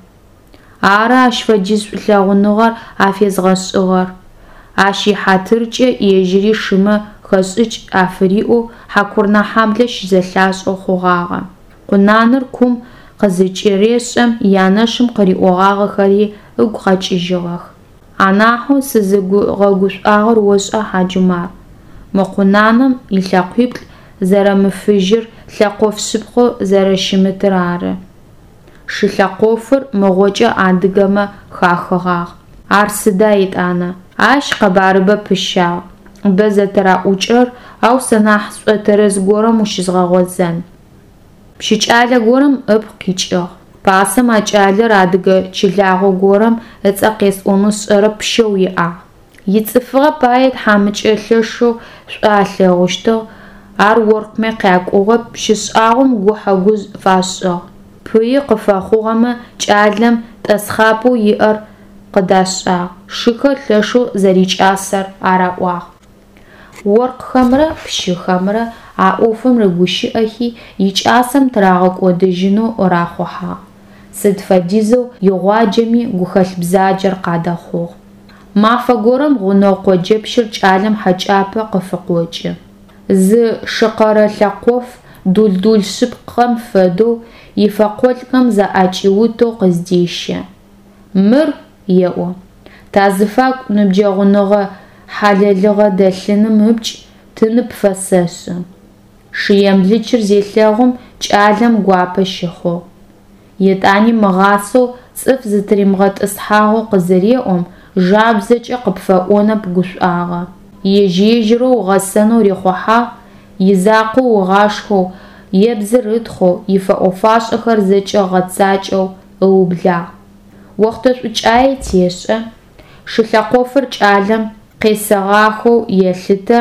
Ары ащ фэдиз шӏулъэгъуныгъэр афезгъэшӏыгъэр. Ащ ихьатыркӏэ ежьыри шымэ хэшӏыкӏ афыриӏэу Хьакурынэхьаблэ щызэлъашӏэу хъугъагъэ. Къунаныр кум къызыкӏырешӏэм янэшым къыриӏогъагъэхэри ыгу къэкӏыжьыгъэх. Анахьэу сызыгъэгушӏуагъэр ошӏа, Хьаджумар? Мы къунаным ылъэкъуиплӏ зэрэмыфыжьыр, лъэкъоф шъыпкъэу зэрэщымытыр ары. Шы лъэкъофыр мыгъокӏэ адыгэмэ хахыгъагъ. Ар сыда етӏанэ? Ащ къэбарыбэ пыщагъ, бэ зэтыраӏукӏырэр, ау сэ нахь сшӏотэрэз горэм ущызгъэгъозэн. Пщы кӏалэ горэм ыпкъ къикӏыгъ. Пасэм а кӏалэр адыгэ чылагъо горэм ыцӏэ къесӏонэу сшӏэрэп пщэу иӏагъ. Ицӏыфыгъэ пае тхьамыкӏэ лъэшэу шӏу алъэгъущтыгъ, ар оркъмэ къякӏугъэп, пщы шӏагъом гухьэ-гужъ фашӏыгъ. Пыи къыфэхъугъэмэ кӏалэм тӏэсхъапӏэу иӏэр къыдашӏагъ, шыхэр лъэшэу зэрикӏасэр араӏуагъ. Оркъхэмрэ пщыхэмрэ а ӏофым рыгущыӏэхи, икӏасэм тырагъэкӏодыжьынэу рахъухьагъ. Сыд фэдизэу игъуаджэми гухэлъ бзаджэр къадэхъугъ. Мафэ горэм гъунэгъу къоджэпщыр кӏалэм хьэкӏапэ къыфыкъокӏы. Зы шыкъэрэ лъэкъоф дул-дул шъыпкъэм фэдэу ифэкъолӏхэм заӏэкӏиутэу къыздещэ. Мыр, еӏо, тазыфагу ныбджэгъуныгъэ-хьалэлыгъэ дэлъыным ыпкӏ тыны пфэсэшӏы. Шы емлычыр зелъэгъум кӏалэм гуапэ щыхъугъ. Етӏани мыгъасэу цӏыф зытыримыгъэтӏысхьагъэу къызыреӏом, жабзэкӏэ къыпфэӏонэп гушӏуагъэ. Ежь-ежьырэу ыгъэсэнэу рихъухьагъ, изакъоу ыгъашхэу, ебзыр ытхъоу, ифэӏо-фашӏэхэр зэкӏэ ыгъэцакӏэу ыублагъ. Охътэ шӏукӏае тешӏэ, шы лъэкъофыр кӏалэм къесэгъахэу елъытэ,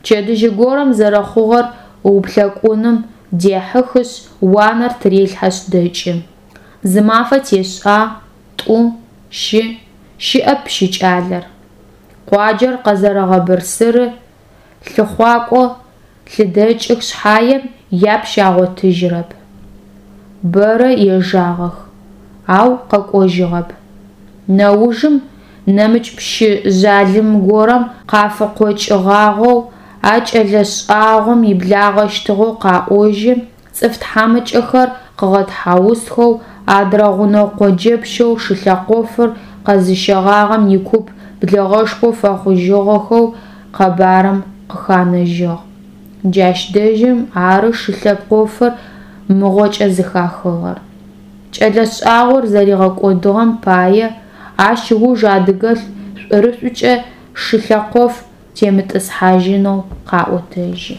пчэдыжьы горэм зэрэхъугъэр ыуплъэкӏуным дехьыхышъ, уанэр тырелъхьэшъ дэкӏы. Зы мафэ тешӏагъ, тӏу, щы, щыӏэп пщы кӏалэр. Къуаджэр къэзэрэгъэбырсыры, лъыхъуакӏо лъыдэкӏых шъхьаем, япщ агъотыжьырэп. Бэрэ ежагъэх, ау къэкӏожьыгъэп. Нэужым нэмыкӏ пщы жъалым горэм къафыкъокӏыгъагъэу, а кӏэлэ шӏагъом иблагъэщтыгъэу къаӏожьы, цӏыф тхьамыкӏэхэр къыгъэтхьаусхэу, адрэ гъунэгъу къоджэпщэу шылъэкъофыр къэзыщэгъагъэм икуп блэгъэшхо фэхъужьыгъэхэу къэбарым къыханэжьыгъ. Джащ дэжьым ары шы лъэкъофыр мыгъокӏэ зыхахыгъэр. Кӏэлэ шӏагъор зэригъэкӏодыгъэм пае ащ ыуж адыгэлӏ шӏурышӏукӏэ шы лъэкъоф темытӏысхьажьынэу къаӏотэжьы.